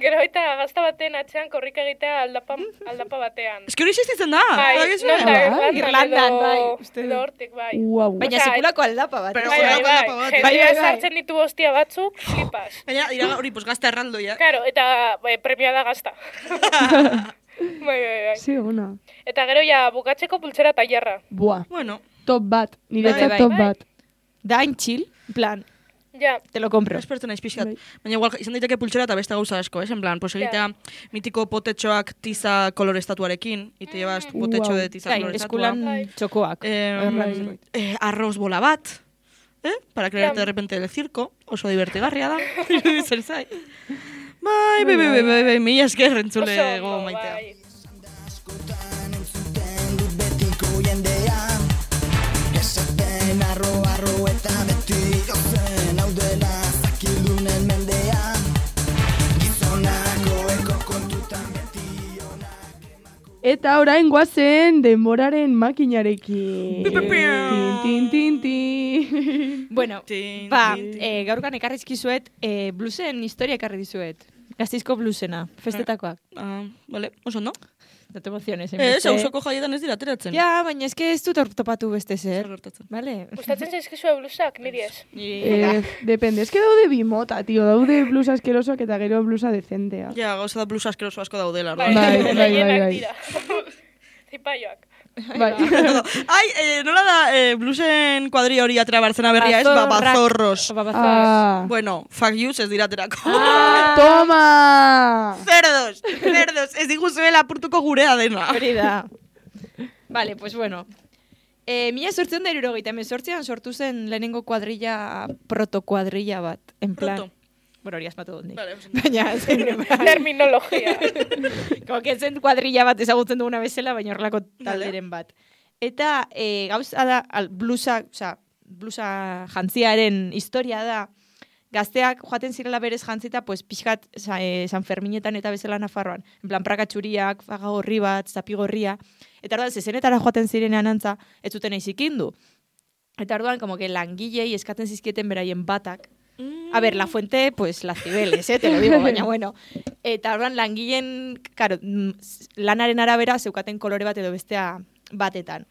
Gero baita gazta baten atzean korrika egitea aldapa batean. Ez que hori existitzen da. Bai, badakizue? nonda, Irlandan, bai, edo uste dut. edo hortik, bai. Guau. Baina Osea, sekulako aldapa bat. Pero Bai, Sekulako bai, aldapa bat, bai. bai, Jendea bai. sartzen ditu hostia batzuk, flipas. Gaina, dira hori, pues gazta erraldoia. Claro, eta premia da gazta. Bai. Ze ona. Eta gero ja bukatzeko pultzera tailerra. Buah. Bueno, Top bat. Niretzat Bai, top bai. bat. Da hain chill, en plan. Ja, te lo compro. Espertu naiz pixkat. Baina igual izan daiteke pultsera eta beste gauza asko, en plan, pues egitea mitiko potetxoak tiza kolorestatuarekin, y te llevas tu potetxo de tiza kolorestatua. Eskulan txokoak. Arroz bola bat, para crearte de repente el circo, oso divertigarria da, iruditzen zait. Bai, mila esker entzule go maitea. bai. Eta orain guazen denboraren makinarekin. Tin. Bueno, Tin, ba, tin, tin. gaurkan ekarrizkizuet, bluesen historia ekarri dizuet. Gazteizko blusena, festetakoak. Vale, oso no? No te emociones. Ausoko jaietan ez dira ateratzen. Ja, baina eske ez dut topatu beste zer. Zer gertatzen. Vale. Gustatzen zaizkizue blusak, niri ez. Depende, eske daude bi mota, tio. Daude blusa askerosoak eta gero blusa decentea. Ja, gauza da blusa askeroso asko daudela. Bai, Bai. gehienak dira. Zipaioak. Bai. Ai, nola da blusen kuadria hori atera bartzena berria ez? Babazorros. Ah. Bueno, fuck yous ez diraterako. Toma! Cerdos, ez diguzuela apurtuko gurea dena. Hori da. Vale, pues bueno. 1878an sortu zen lehenengo kuadrilla, protokuadrilla bat. En plan. Proto. Bueno, hori asmatu dut nik. Vale, Baina, Terminologia. como que zen kuadrilla bat ezagutzen duguna bezala, baina horrelako talderen bat. Eta gauza da, blusa jantziaren historia da, gazteak joaten zirela berez jantzita, pues pixkat San Ferminetan eta bezala Nafarroan. En plan, prakatxuriak, faga gorri bat, zapi gorria. Eta orduan, zezenetara joaten zirenean antza, ez zuten eizikindu. Eta orduan, como que langilei eskatzen zizkieten beraien batak. A ver, la fuente, pues las Cibeles, te lo digo, baina bueno. Eta orduan, langileen, claro, lanaren arabera, zeukaten kolore bat edo bestea batetan.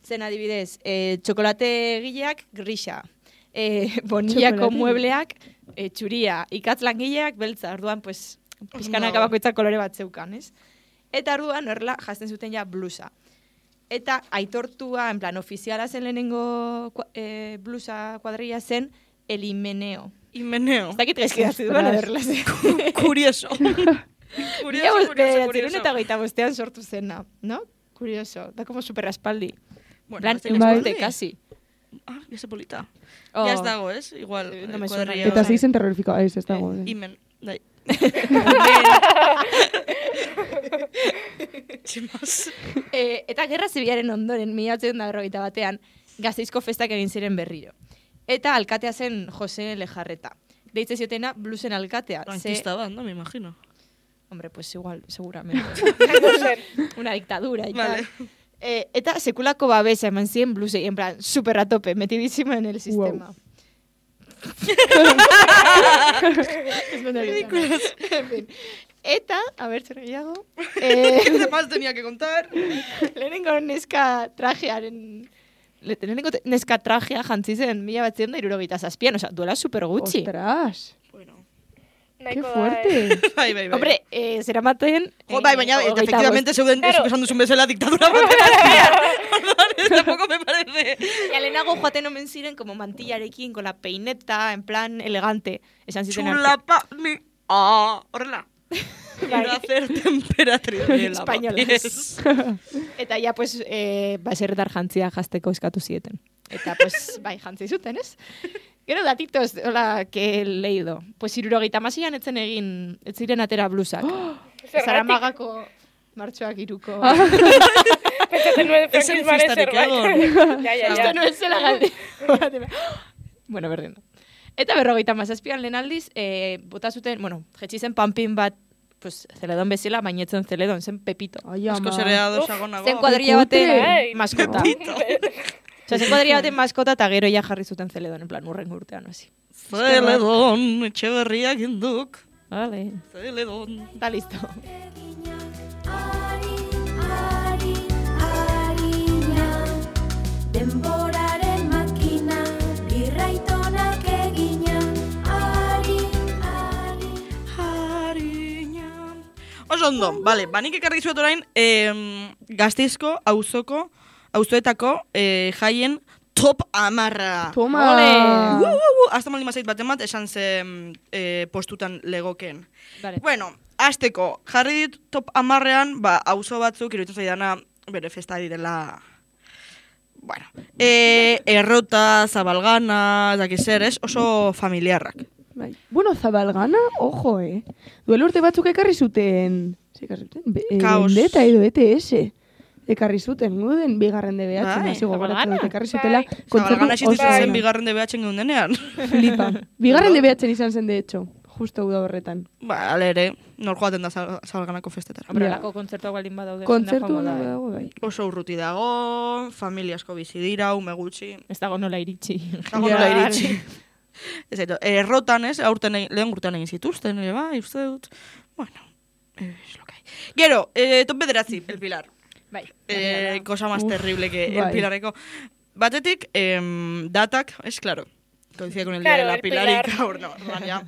Zen adibidez, txokolate gileak, grisa. Bonillako muebleak, txuria. Ikatz langileak, beltza. Orduan, pues, pizkanak bakoitzak kolore bat zeukan, ez? Eta orduan, horrela, jazten zuten ja blusa. Eta aitortua, en plan, ofiziala zen lehenengo blusa kuadrilla zen, el himeneo. Himeneo. Ez dakit gaizki datzi duan aderla zen. Curioso. Curioso. Eta goita bostean sortu zena, no? Curioso. Da como super aspaldi. Bueno, Plan, bai. urte, kasi. Ya se polita. Oh. Ya ez dago, ez? Igual. No me suena. kuadrilla. Eta zeizen terrorifiko, ez dago. Himen. Dai. Tximaz. Eta gerra zibilaren ondoren, 1891 Gasteizko festak egin ziren berriro. Eta alkatea zen Jose Lejarreta. Deitze ziotena blusen alkatea. Frankista bat, no? Me imagino. Hombre, pues igual, seguramente. No zen. Una dictadura y Vale. tal. Eta sekulako babesa eman ziren blusei, en plan, super a tope, metidísima en el sistema. Ridículos. En fin. Eta, a ver, zer gehiago. ¿Qué más tenía que contar? Lehenengo neska trajearen... Lehenengo neska trajea jantzi zen 1977an, oza, duela super gutxi. Ostras, Bueno. qué Nahiko da, fuerte. Bai, bai, bai. Hombre, zeramaten... Jo, bai, baina, efectivamente, zeuden, Claro. eso que esan duzun bezala, diktadura baten azpian. Orduan, tampoco me parece. Ja, lehenago joaten omen ziren, como mantillarekin, con la peineta, en plan elegante. Esan ziren Chulapa, mi... horrela. Para hacer temperatriz de la Españoles. Eta ja, pues, baserretar jantzia jazteko eskatu zieten. Eta, pues, bai, jantzi zuten, ez? Gero datitos, hola, que he leído. Pues, 76an etzen egin, ez ziren atera blusak. Zergatik. Zaramagako martxoak iruko. Pentsatzen nuen Ez zen frankismaren fiestarik zerbait. Ja. Esto no es zela galde. Bueno, berdin. Eta 57an lehen aldiz, bota zuten, bueno, jetxi zen panpin bat, pues, zeledon bezala, bainetzen zeledon, zen Pepito. Ai, Asko ama. zerea dosagonago. Zen kuadrilla baten Bai. maskota. Osea, zen kuadrilla baten maskota eta gero ja jarri zuten zeledon, en plan, urren urtean, hasi. Zeledon, etxeberriak induk. Vale, Zeledon. está listo. Denboraren makina, birraitonak egina, Harina. Oso ondo, bale, banik ekarri zuet orain Gasteizko, auzoetako jaien top 10. Toma! Hasta maldin bazait bat emat, esan ze postutan legoken. Vale. Bueno, azteko, jarri dit top 10ean, auzo batzuk, iruditzen zaidana, bere festa direla... Bueno, Errota, Zabalgana, dakizer, ez? Oso familiarrak. Bai. Bueno, Zabalgana, ojo, Duela urte batzuk ekarri zuten... Ekarri zuten? Kaos. Vendetta edo ETS. Ekarri zuten, guden bigarren DBH, Bai, nazi gogoratzen Zabalgana. dut, ekarri zutela Bai. Zabalgana existitzen oso zen ona. bigarren DBH-en geundenean. Flipa. Bigarren DBH izan zen, de hecho, justo uda horretan. Ale ere, nor joaten da Zabalganako festetara. Hombre, Ja. alako kontzertuak baldin badaude. Kontzertu jende joango da, dago, bai. Oso urruti dago, familia asko bizi dira, ume gutxi. Ez dago nola iritsi. Jago nola iritsi. Ez eto, errotan ez, lehen urtean egin zituzten, ere bai, uste dut. Bueno, es lo que hay. Gero, top bederatzi, El Pilar. Bai. Cosa más terrible que El bai. Pilarreko. Batetik, datak, es claro. Coincide con el día Claro, de la el Pilar Pilar. y gaur, no, orduan ja.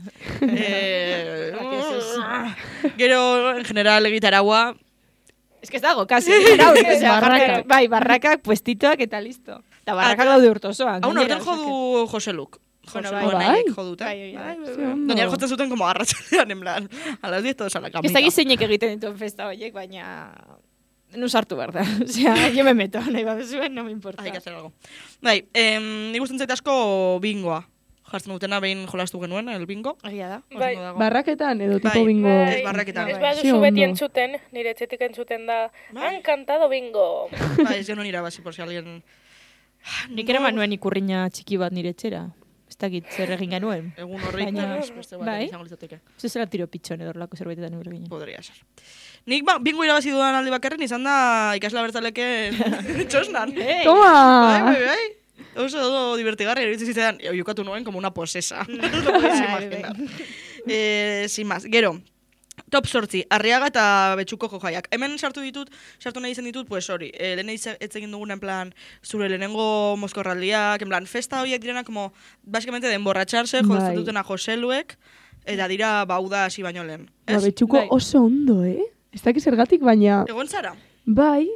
Gero, en general, egitaragua, Ez que ez dago, kasi. Osea, Barrakak. bai, barrakak, puestitoak eta listo. Eta barrakak daude urtosoan. hau gainera, norten osea jo du Jose Luk. Bueno, Jose bai. Luk Bai. nahiek jo dute. Bai, bai, bai. Ze ondo. Gainera jotzen zuten como arratsaldean, en plan, a las 10 todos a la que- camita. Ez dakit zeinek egiten dituen festa horiek, baina... Nu sartu behar da. Osea, yo me meto, nahi baduzuen, no me importa. Hay que hacer algo. Bai, nik gusten zait asko bingoa. Jartzen dutena behin jolastu genuen, el bingo. Egia da. Oso Bai. ondo dago. Barraketan edo tipo Bai. bingo... Bai. Ez barraketan. Ez Ze baduzu beti ondo. entzuten, nire etxetik entzuten da, Bai. han cantado bingo. Bai, ez genuen irabazi, por si alguien... Nik ere manuen ikurriña txiki bat nire etxera. Ez dakit zer egin genuen. Egun horrik, Baina- beste bat bai. izango litzateke. Ez zela tiro pitxon edo horlako zerbaitetan nire ginen. Podría ser. Nik bingo irabazi dudan aldi bakarren izan da ikasla bertzaleken txosnan. Toma! Bai. Oso divertigarri, iruditzen zitzaidan, jokatu nuen como una posesa. Lo podéis imaginar. Sin más, gero, top 8, Arriaga eta Betxuko jojaiak. Hemen sartu nahi izan ditut, pues hori, lehen egin dugun en plan, zure lehenengo mozkorraldiak, en plan, festa horiek direna como, básicamente de emborratxarse, Bai. jotzen dutena Joseluek, eta dira bauda hasi baino lehen. Ba, Ez? Betxuko Bai. oso ondo, Ez dakit zergatik, baina... Egon zara? Bai,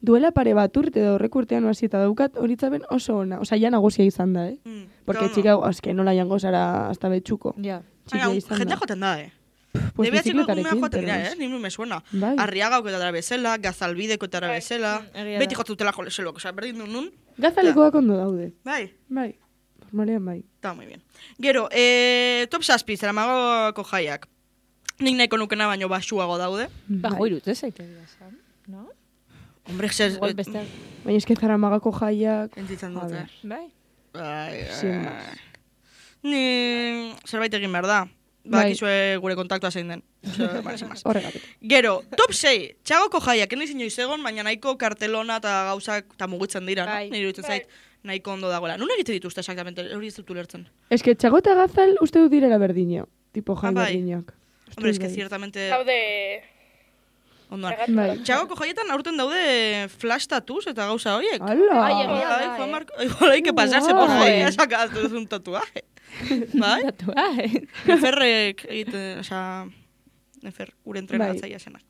duela pare bat urte edo horrek urtean hasi eta daukat horitzaben oso ona. Osa, ja nagusia izan da, Porque Claro, txika, azke nola jango zara hasta Betxuko. Ja. Txikia Baina, izan jende da. joaten da, Pues DBH-ko bizikletarekin, umea joaten dira, pero Ni me suena. Bai. Arriagako eta bezala, Gazalbideko eta bezala, egia beti da. jotzutela Joseluak, osea, berdin du nun. Gazalekoak ondo daude. Bai, Bai, normalean bai. está muy bien. Gero, top 7, Zaramagoko jaiak. Nik nahiko nukena baino basuago daude. Ba, Bai. joirut, ez zaite dira esan. No? Hombre, zer... Igual beste... Baina eske Zaramagako jaiak... Entzitzen A dute. ver. Bai. Bai, Sin más. Ni zerbait egin behar da. Bai. Bakizue gure kontaktua zein den. Osea, vale, sin más. Horregatik. Gero, top 6, Txagoko jaiak, eniz inoiz egon, baina nahiko kartelona eta gauzak eta mugitzen dira, Bai. no? Nire iruditzen zait, nahiko ondo dagoela. Nun egite dituzte exactamente, hori ez dut ulertzen. Eske Txago eta Gazal uste dut direla berdina. Tipo jai bai. berdinak. Uste Hombre, dut eske bai. ciertamente... Daude, Ondoan. Bai. Txagoko jaietan aurten daude flash tattoos eta gauza horiek. Ala! Ai, egia da, Juan Marco, igual hay que pasarse por Guai. ahí a sacar un tatuaje. Bai? Datua, Neferrek egiten, osea, Nefer, gure entrenatzaia zenak.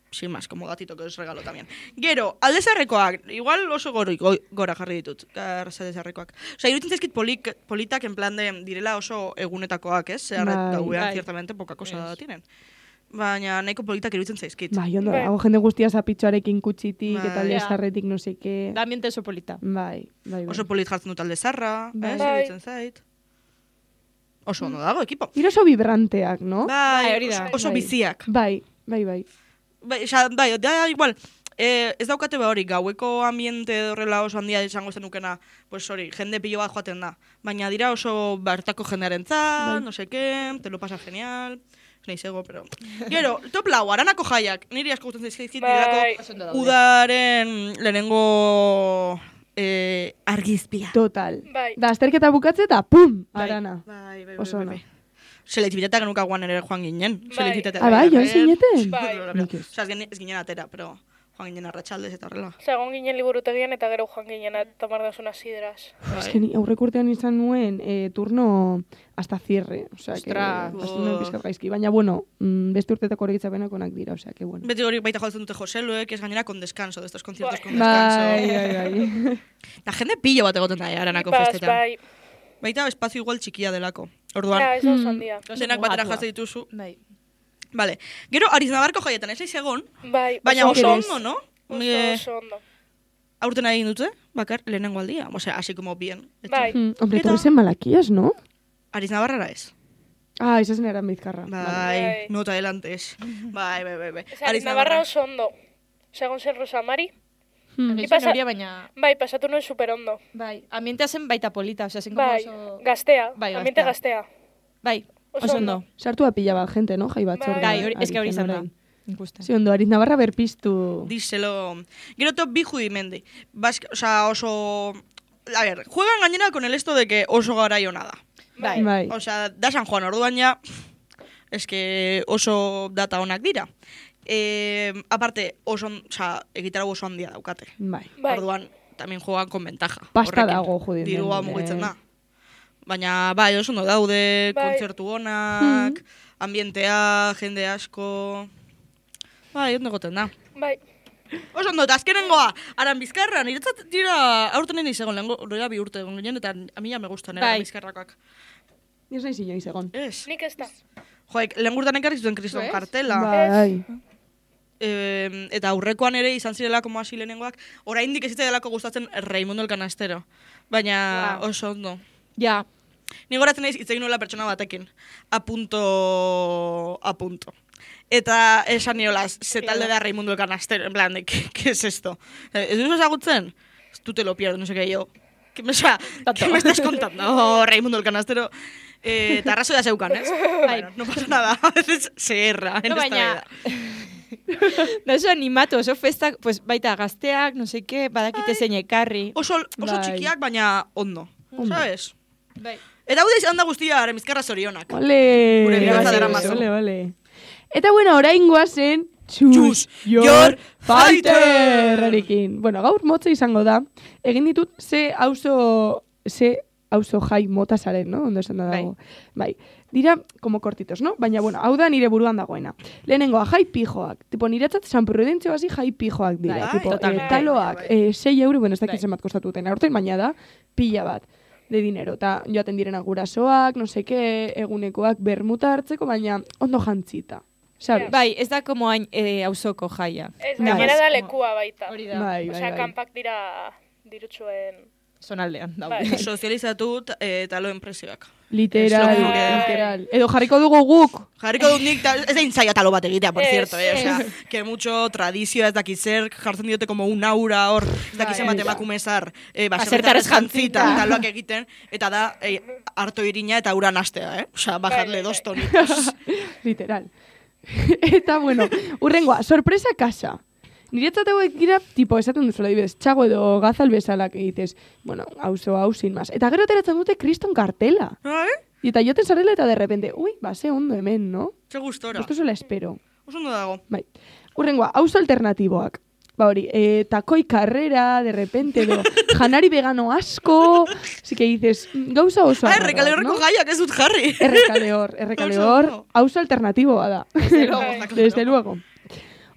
Sin más, como gatito que os regalo también. Gero, aldezarrekoak, igual oso gora jarri ditut, aldezarrekoak. Osea, iruditzen zaizkit politak en plan de direla oso egunetakoak, ez? Zehar Bai. gauean, Bai. ciertamente, poca cosa tienen. Baina nahiko politak iruditzen zaizkit. Bai, ondo, Bai. dago jende guztia zapitxoarekin kutsitik eta Bai. lezarretik no seke. Da ambiente oso polita. Bai, bai, bai. Oso polit jartzen dut aldezarra, Bai. ez? Bai. Iruditzen zait. Oso ondo dago, ekipo. Giro oso vibranteak, no? Bai, hori da. oso Bai. biziak. Bai, bai, bai. Bai, da igual, ez daukate hori, gaueko ambiente horrela oso handia izango zenukena, pues hori, jende pilo bat joaten da. Baina dira oso bertako jendearen Bai. no sé qué, te lo pasa genial, nahi zego, pero... Gero, top lau, Aranako jaiak, niri asko gustatzen zaizkit, Bai. direlako udaren lehenengo argizpia. Total. Bai. Da, azterketa bukatze eta pum, Bai. arana. Bai, Oso ona. Selektibitatea genukagoan ere joan ginen. Bai. Selektibitatea. Ah, bai, joan zineten? Bai. Nik ez. Osea, ez ginen atera, pero joan ginen arratsaldez eta horrela. Egon ginen liburutegian eta gero joan ginen tomar dazuna sidras. Es que ni aurrek urtean izan nuen turno hasta cierre. O sea, que Ostras. hasi nuen pizkat gaizki. Baina, bueno, beste urtetako horretzapenak onak dira. O sea, que bueno. Beti hori baita jotzen dute Joseluek, ez gainera con descanso, de estos conciertos con Bai, descanso. bai, bai. La jende pilo bat egoten da, Aranako Ipaz, festetan. bai. Baita espazio igual txikia delako. Orduan, Ja, ez da oso handia. denak batera jaze dituzu. Bai. Vale. Gero, Ariznabarko jaietan ez aiz egon, Bai, baina oso oso Eres. ondo, no? oso ondo. Aurten egin dute, bakar, lehenengo aldia. Osea, así como bien. Bai. Hombre, Eta- tú eres en Malaquías, ¿no? Ariznabarrara ez. Ah, esa es en Bizkarra. Bai, Bai. nota adelantes. Bai. Ez Navarra oso ondo. Segon zen Rosa Mari. Egin pasa- zuen horia, baina... Bai, pasatu nuen super ondo. Bai, ambientea zen baita polita, osea, zen como Bai, oso... gaztea, Bai, ambiente gaztea. gaztea. Bai, Oso oso ondo. ondo. Sartu a pila bat gente, ¿no? Jai batzorde. Bai, Bai, ez que hori izan da. orain. Ikusten. Sí, ondo, Ariz Navarra berpiztu. Díselo. Gero top bi judimendi. Osea, oso... A ver, juegan gainera con el esto de que oso garai ona da. Bai. Bai. Osea, da San Juan orduan ja, es que oso data onak dira. Aparte, egitarau oso handia daukate. Bai. Bai. Orduan, también juegan con ventaja. Pasta horrekin. dago judimendu, Dirua mugitzen da. Baina, bai, oso ondo daude, Bai. kontzertu onak, ambientea, jende asko... Bai, ondo egoten da. Bai. Oso ondo, eta azkenengoa, Aran Bizkarra, niretzat dira aurten nien izegon, lehenko bi urte egon ginen, eta a mi ja me gustan, Aran Bai. Bizkarrakoak. Ez nahi inoiz egon. Ez. Nik ez da. Joek, lehen gurtan ekarri zuten kriston Ez? kartela. Bai. Eta aurrekoan ere izan zirela como hasi lehenengoak, oraindik ez zitzaidalako gustatzen Raimundo el Canastero. Baina oso ondo. Ja, Ni goratzen naiz hitz egin nuela pertsona batekin. A punto. Eta esan niola, ze talde da Raimundo el Canastero, en plan, de, ¿qué es esto? ¿Ez duzu ezagutzen? Tú te lo pierdes, no sé qué, yo. ¿Qué me estás contando? Oh, Raimundo el Canastero. Eta arrazoia zeukan, ez? Bueno, no pasa nada, a veces se erra en no, esta baina... vida. da oso animatu, oso festak, pues, baita gazteak, no sé qué, badakite zein ekarri. Oso Bai. txikiak, baina ondo. ¿Sabes? Bai. Eta hau da izan da guztia, Aran Bizkarra zorionak. Ole. Gure Ole, bihotza ole, daramazu. ole. Eta bueno, orain goazen Choose Your your Fighter! Erekin. Bueno, gaur motza izango da. Egin ditut ze auzo jai mota zaren, no? Ondo esan da dago. Bai. Dira, como cortitos, no? Baina, bueno, hau da nire buruan dagoena. Lehenengoa, jai pijoak. Tipo, niretzat San Prudentzio hasi jai pijoak dira. Bai, Tipo, totalmente. taloak, Bai. 6 euro, bueno, ez dakit Bai. zenbat kostatuten. Aurten, baina da, pila bat de dinero. Ta joaten direna gurasoak, no seke, egunekoak bermuta hartzeko, baina ondo jantzita. Sabes? Bai, ez da como hain auzoko jaia. Ez, Bai. gainera da lekua baita. Hori da, Bai, bai, Osea, bai. kanpak dira dirutsuen... zonaldean daude. Bai. Sozializatu taloen presioak. Literal, Ez logo. literal. Edo jarriko dugu guk. Jarriko dut nik, ez da intzaia talo bat egitea, por Ez, cierto, O sea, que mucho tradizioa ez dakit zer, jartzen diote como un aura hor, ez dakit zenbat emakumezar, baserritarrez jantzita, taloak egiten, eta da, harto irina eta ura nastea, Osea, bajarle 2 tonitos. Literal. Eta, bueno, urrengoa, sorpresa kasa. Niretzat hauek dira, tipo, esaten duzuela, dibez, txago edo gazal bezalak egitez. Bueno, hau sin más. Eta gero ateratzen dute kriston kartela. Eta joten zarela eta de repente, ui, ze ondo hemen, no? Ze gustora. Esto se la espero. Oso ondo dago. Bai. Urrengoa, auzo alternatiboak. Ba hori, takoi karrera, de repente, edo, janari vegano asko, así que dices, gauza oso arraroak, Errekale horreko no? gaiak ez dut jarri. Errekale hor, Oso. auzo alternatiboa da. Desde luego.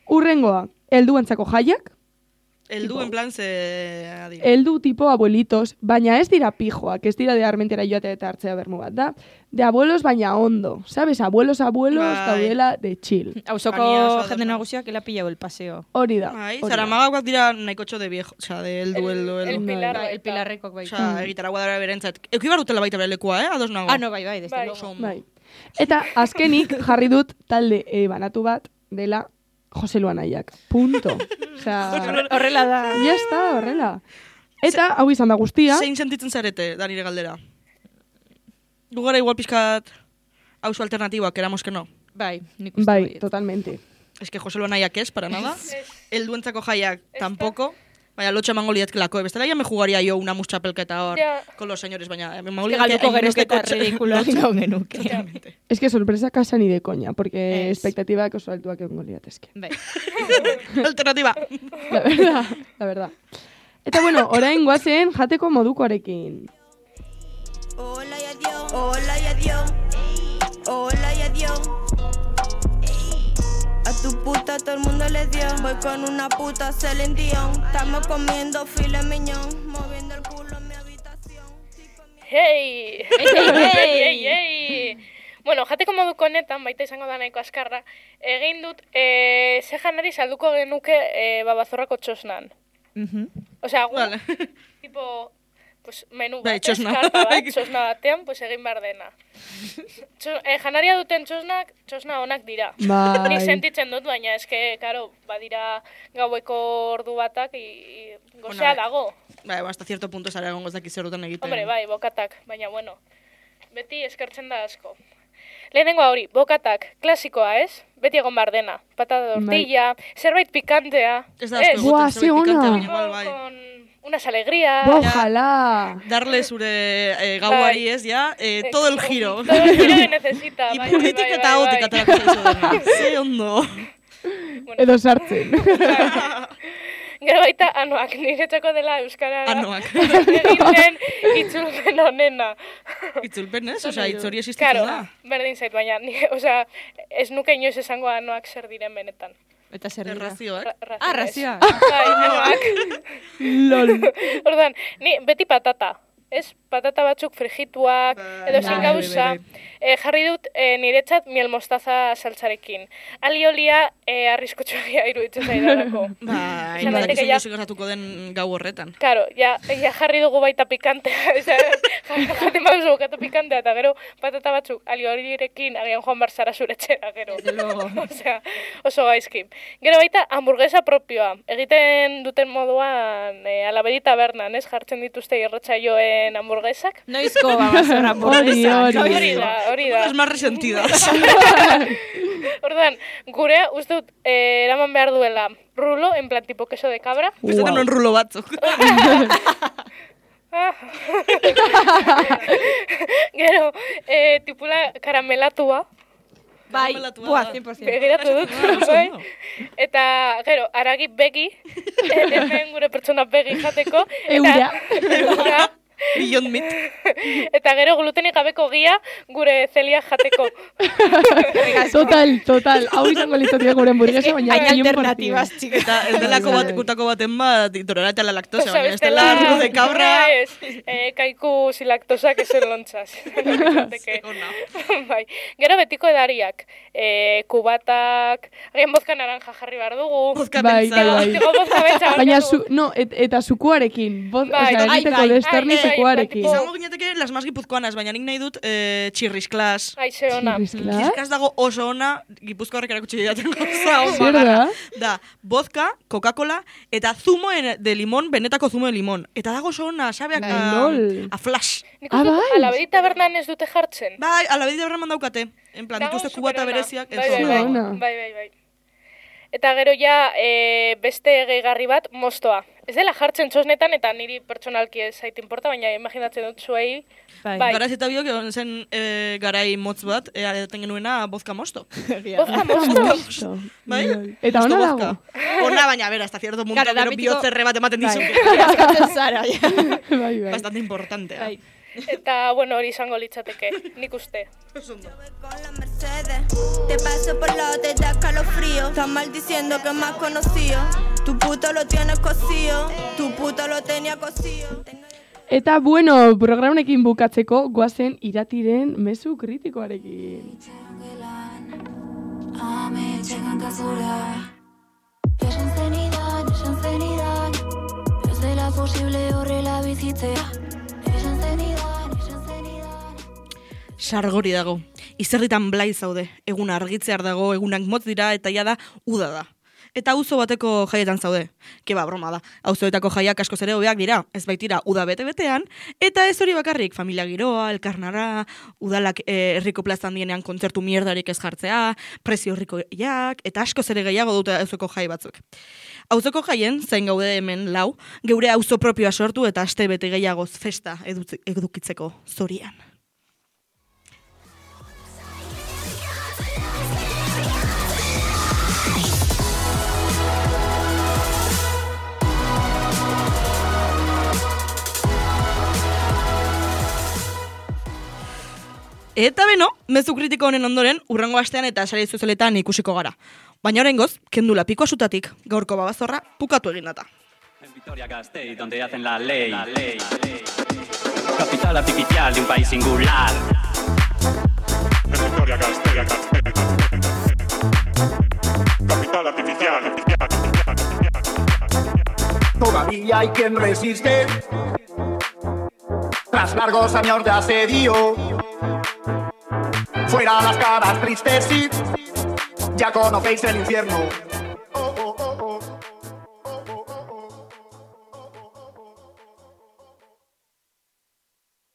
Urrengoa, helduentzako jaiak, Eldu en plan ze... adira. heldu tipo abuelitos, baina ez dira pijoak, ez dira de armentera joatea eta hartzea bermu bat, da? De abuelos baina ondo, sabes? Abuelos, Bai. daudela de chill. Auzoko Ania oso jende ados. nagusiak ela pillau el paseo. Hori da. Bai, hori da. zaramagak dira nahikotxo de viejo, osea, de eldu. El pilar Bai, el baita. pilarrekoak bai. Osea, egitaragua dara berentzat. Euki bar dutela baita bere lekua, Ados nago. Ah, no, bai, desde Bai. luego. Oso ondo. Bai. Eta azkenik jarri dut talde banatu bat dela Jose Luanaiak. Punto. Osea, Horrela da. ya está, horrela. Eta hau izan da guztia. Zein sentitzen zarete, da nire galdera? Gugara igual pizkat auzo alternatiboak, eramos que no. Bai, nik uste Bai, baiet. totalmente. Es que Jose Luanaiak ez, para nada. Ez. Helduentzako jaiak tampoco. Baina lotxa emango liatkelako. Bestela ya me jugaría yo una muschapelketa hor Ja. con los señores, baina emango Galduko genuke eta kotxe. ridikuloak gau genuke. Es que sorpresa casa ni de coña, porque Ez. expectativak oso altuak egongo liatezke. Bai. Alternativa. La verdad. Eta bueno, orain goazen jateko modukoarekin. Hola y adiós, hola y adiós, hola y adiós. A tu puta todo el mundo le dio. Voy con una puta Celine Dion. Estamos comiendo filet mignon, moviendo el culo en mi habitación. Hey! Hey! Bueno, jateko moduko honetan, baita izango da nahiko askarra, egin dut, ze janari salduko genuke babazorrako txosnan. Osea, Vale. tipo, pues, menu Bai, bat, txosna. karta bat, txosna batean, pues, egin behar dena. Janaria duten txosna onak dira. Bai. Nik sentitzen dut, baina eske, karo, badira gaueko ordu batak, gozea dago. Bai, hasta cierto punto zara egongo ez dakiz zer duten egiten. Hombre, bai, bokatak, baina bueno, beti eskertzen da asko. Lehenengoa hori, bokatak, klasikoa, ez? Beti egon behar dena. Patata tortilla, zerbait pikantea. Ez da asko Buah, egoten ze zerbait pikante, ona. baina igual bai. Con unas alegrías. Ojalá. Darle zure gauari ez, ja, todo el giro. Todo el giro que necesita. bai, Ipuitik bai, eta bai, gotik bai. aterako zaizu dena. Ze ondo. Edo sartzen. Gero baita anoak, niretzako dela euskarara. Anoak. Egin den itzulpen honena. Itzulpen ez? Osea, itzori existitzen Claro, da. berdin zait, baina, osea, ez nuke inoiz esango anoak zer diren benetan. Eta zer dira? Errazioak. Razioa. Bai, anoak. Lol. Orduan, ni beti patata. Ez, patata batzuk frigituak, edo zin gauza. Jarri dut niretzat miel mostaza saltzarekin. Aliolia arriskutsuagia iruditzen zaidalako. Bai, Esan daiteke badakizu ja- jozik gertatuko den gau horretan. Claro, ja jarri dugu baita pikantea, jaten baduzu bokatu pikantea, eta gero patata batzuk aliolirekin agian joan bar zara zure etxera, gero. Osea, oso gaizki. Gero baita hamburguesa propioa. Egiten duten moduan Alabedi tabernan, ez? Jartzen dituzte irratsaioen hamburguesak. Noizko babazorra hamburguesa. Hori da. Es más resentidas. Orduan, gurea uste dut eraman behar duela rulo, en plan tipo queso de cabra. Bestetan non rulo batzuk. Gero, tipula karamelatua. Bai, Karamelatua buah, da. 100%. Begiratu dut, bai. Eta, gero, aragi begi, hemen gure pertsona begi jateko. Eura. Eura. Beyond Meat. Eta gero glutenik gabeko gia gure zelia jateko. Total. Hau izango litzatik gure hamburguesa, baina Hain 100%. alternatibas, txika. Eta ez delako Bai. gutako baten bat intolerante a la lactosa, Osa, baina ez dela arro de cabra. Ez, kaiku silaktosak esen lontzaz. Bai. Gero betiko edariak. Kubatak, agian bozka naranja jarri behar dugu. Bozka Bai, pentsa. bai. Tipo bozka betxa. Baina, eta sukuarekin. Bai, Osea, bai, egiteko bai, desterni bai, sukuarekin. bai, Izango gineteke las más gipuzkoanas, baina nik nahi dut txirrisklas. Aize ona. Txirrisklas? Txirrisklas dago oso ona, Gipuzko horrek erakutsi didaten goza. Zer da? Da, vodka, Coca-Cola, eta zumo de limón, benetako zumo de limón. Eta dago oso ona, sabeak Bai, lol. a flash. Nik Ah, uste dut, bai. Alabedi tabernan ez dute jartzen. Bai, alabedi berreman daukate. En plan, Dago dituzte kubata superona. bereziak. Bai, bai, bai. Ona. Bai. Eta gero ja beste gehigarri bat, mostoa. Ez dela jartzen txosnetan eta niri pertsonalki ez zait importa, baina imaginatzen dut zuei. Bai. Garaz eta biok egon zen garai motz bat, edaten genuena bozka mosto. Bozka mosto. Mosto. Bai? Lol. Eta Mosto ona vodka. dago. Ona, baina, bera, hasta cierto punto, Claro, da gero mitiko- bihotzerre bat ematen dizu. Askatzen zara, ja. Bai. Bastante importante. Bai. Eta, bueno, hori izango litzateke, nik uste. Con la Mercedes, te paso por la te da calofrío. Estás maldiciendo que me has conocido. Tu puto lo tienes cosido. Tu puto lo tenía cosido. Eta bueno, programekin bukatzeko goazen iratiren mezu kritikoarekin. Ametxekan kasura Esan zenidan Ez dela posible horrela bizitzea Esan zenidan Sargori dago. Izerritan blai zaude. Egun argitzear dago, egunak motz dira, eta ja da, uda da. Eta auzo bateko jaietan zaude. Keba, broma da. Auzoetako jaiak askoz ere hobeak dira. Ez baitira, uda bete-betean. Eta ez hori bakarrik, familia giroa, elkarnara, udalak herriko plazan dienean kontzertu mierdarik ez jartzea, prezio herrikoiak, eta askoz ere gehiago dute auzoko jai batzuk. Auzoko jaien, zain gaude hemen lau, geure auzo propioa sortu eta aste bete gehiagoz festa edukitzeko zorian. Eta beno, mezu kritiko honen ondoren, urrengo astean eta sare sozialetan ikusiko gara. Baina oraingoz, kendu lapikoa sutatik, gaurko babazorra pukatu egin data. En Vitoria-Gasteiz, donde hacen la ley. Capital artificial de un país singular. En Vitoria-Gasteiz. Capital artificial. Todavía hay quien resiste. Tras largos años de asedio. Fuera las caras tristes, sí. Ya conocéis el infierno.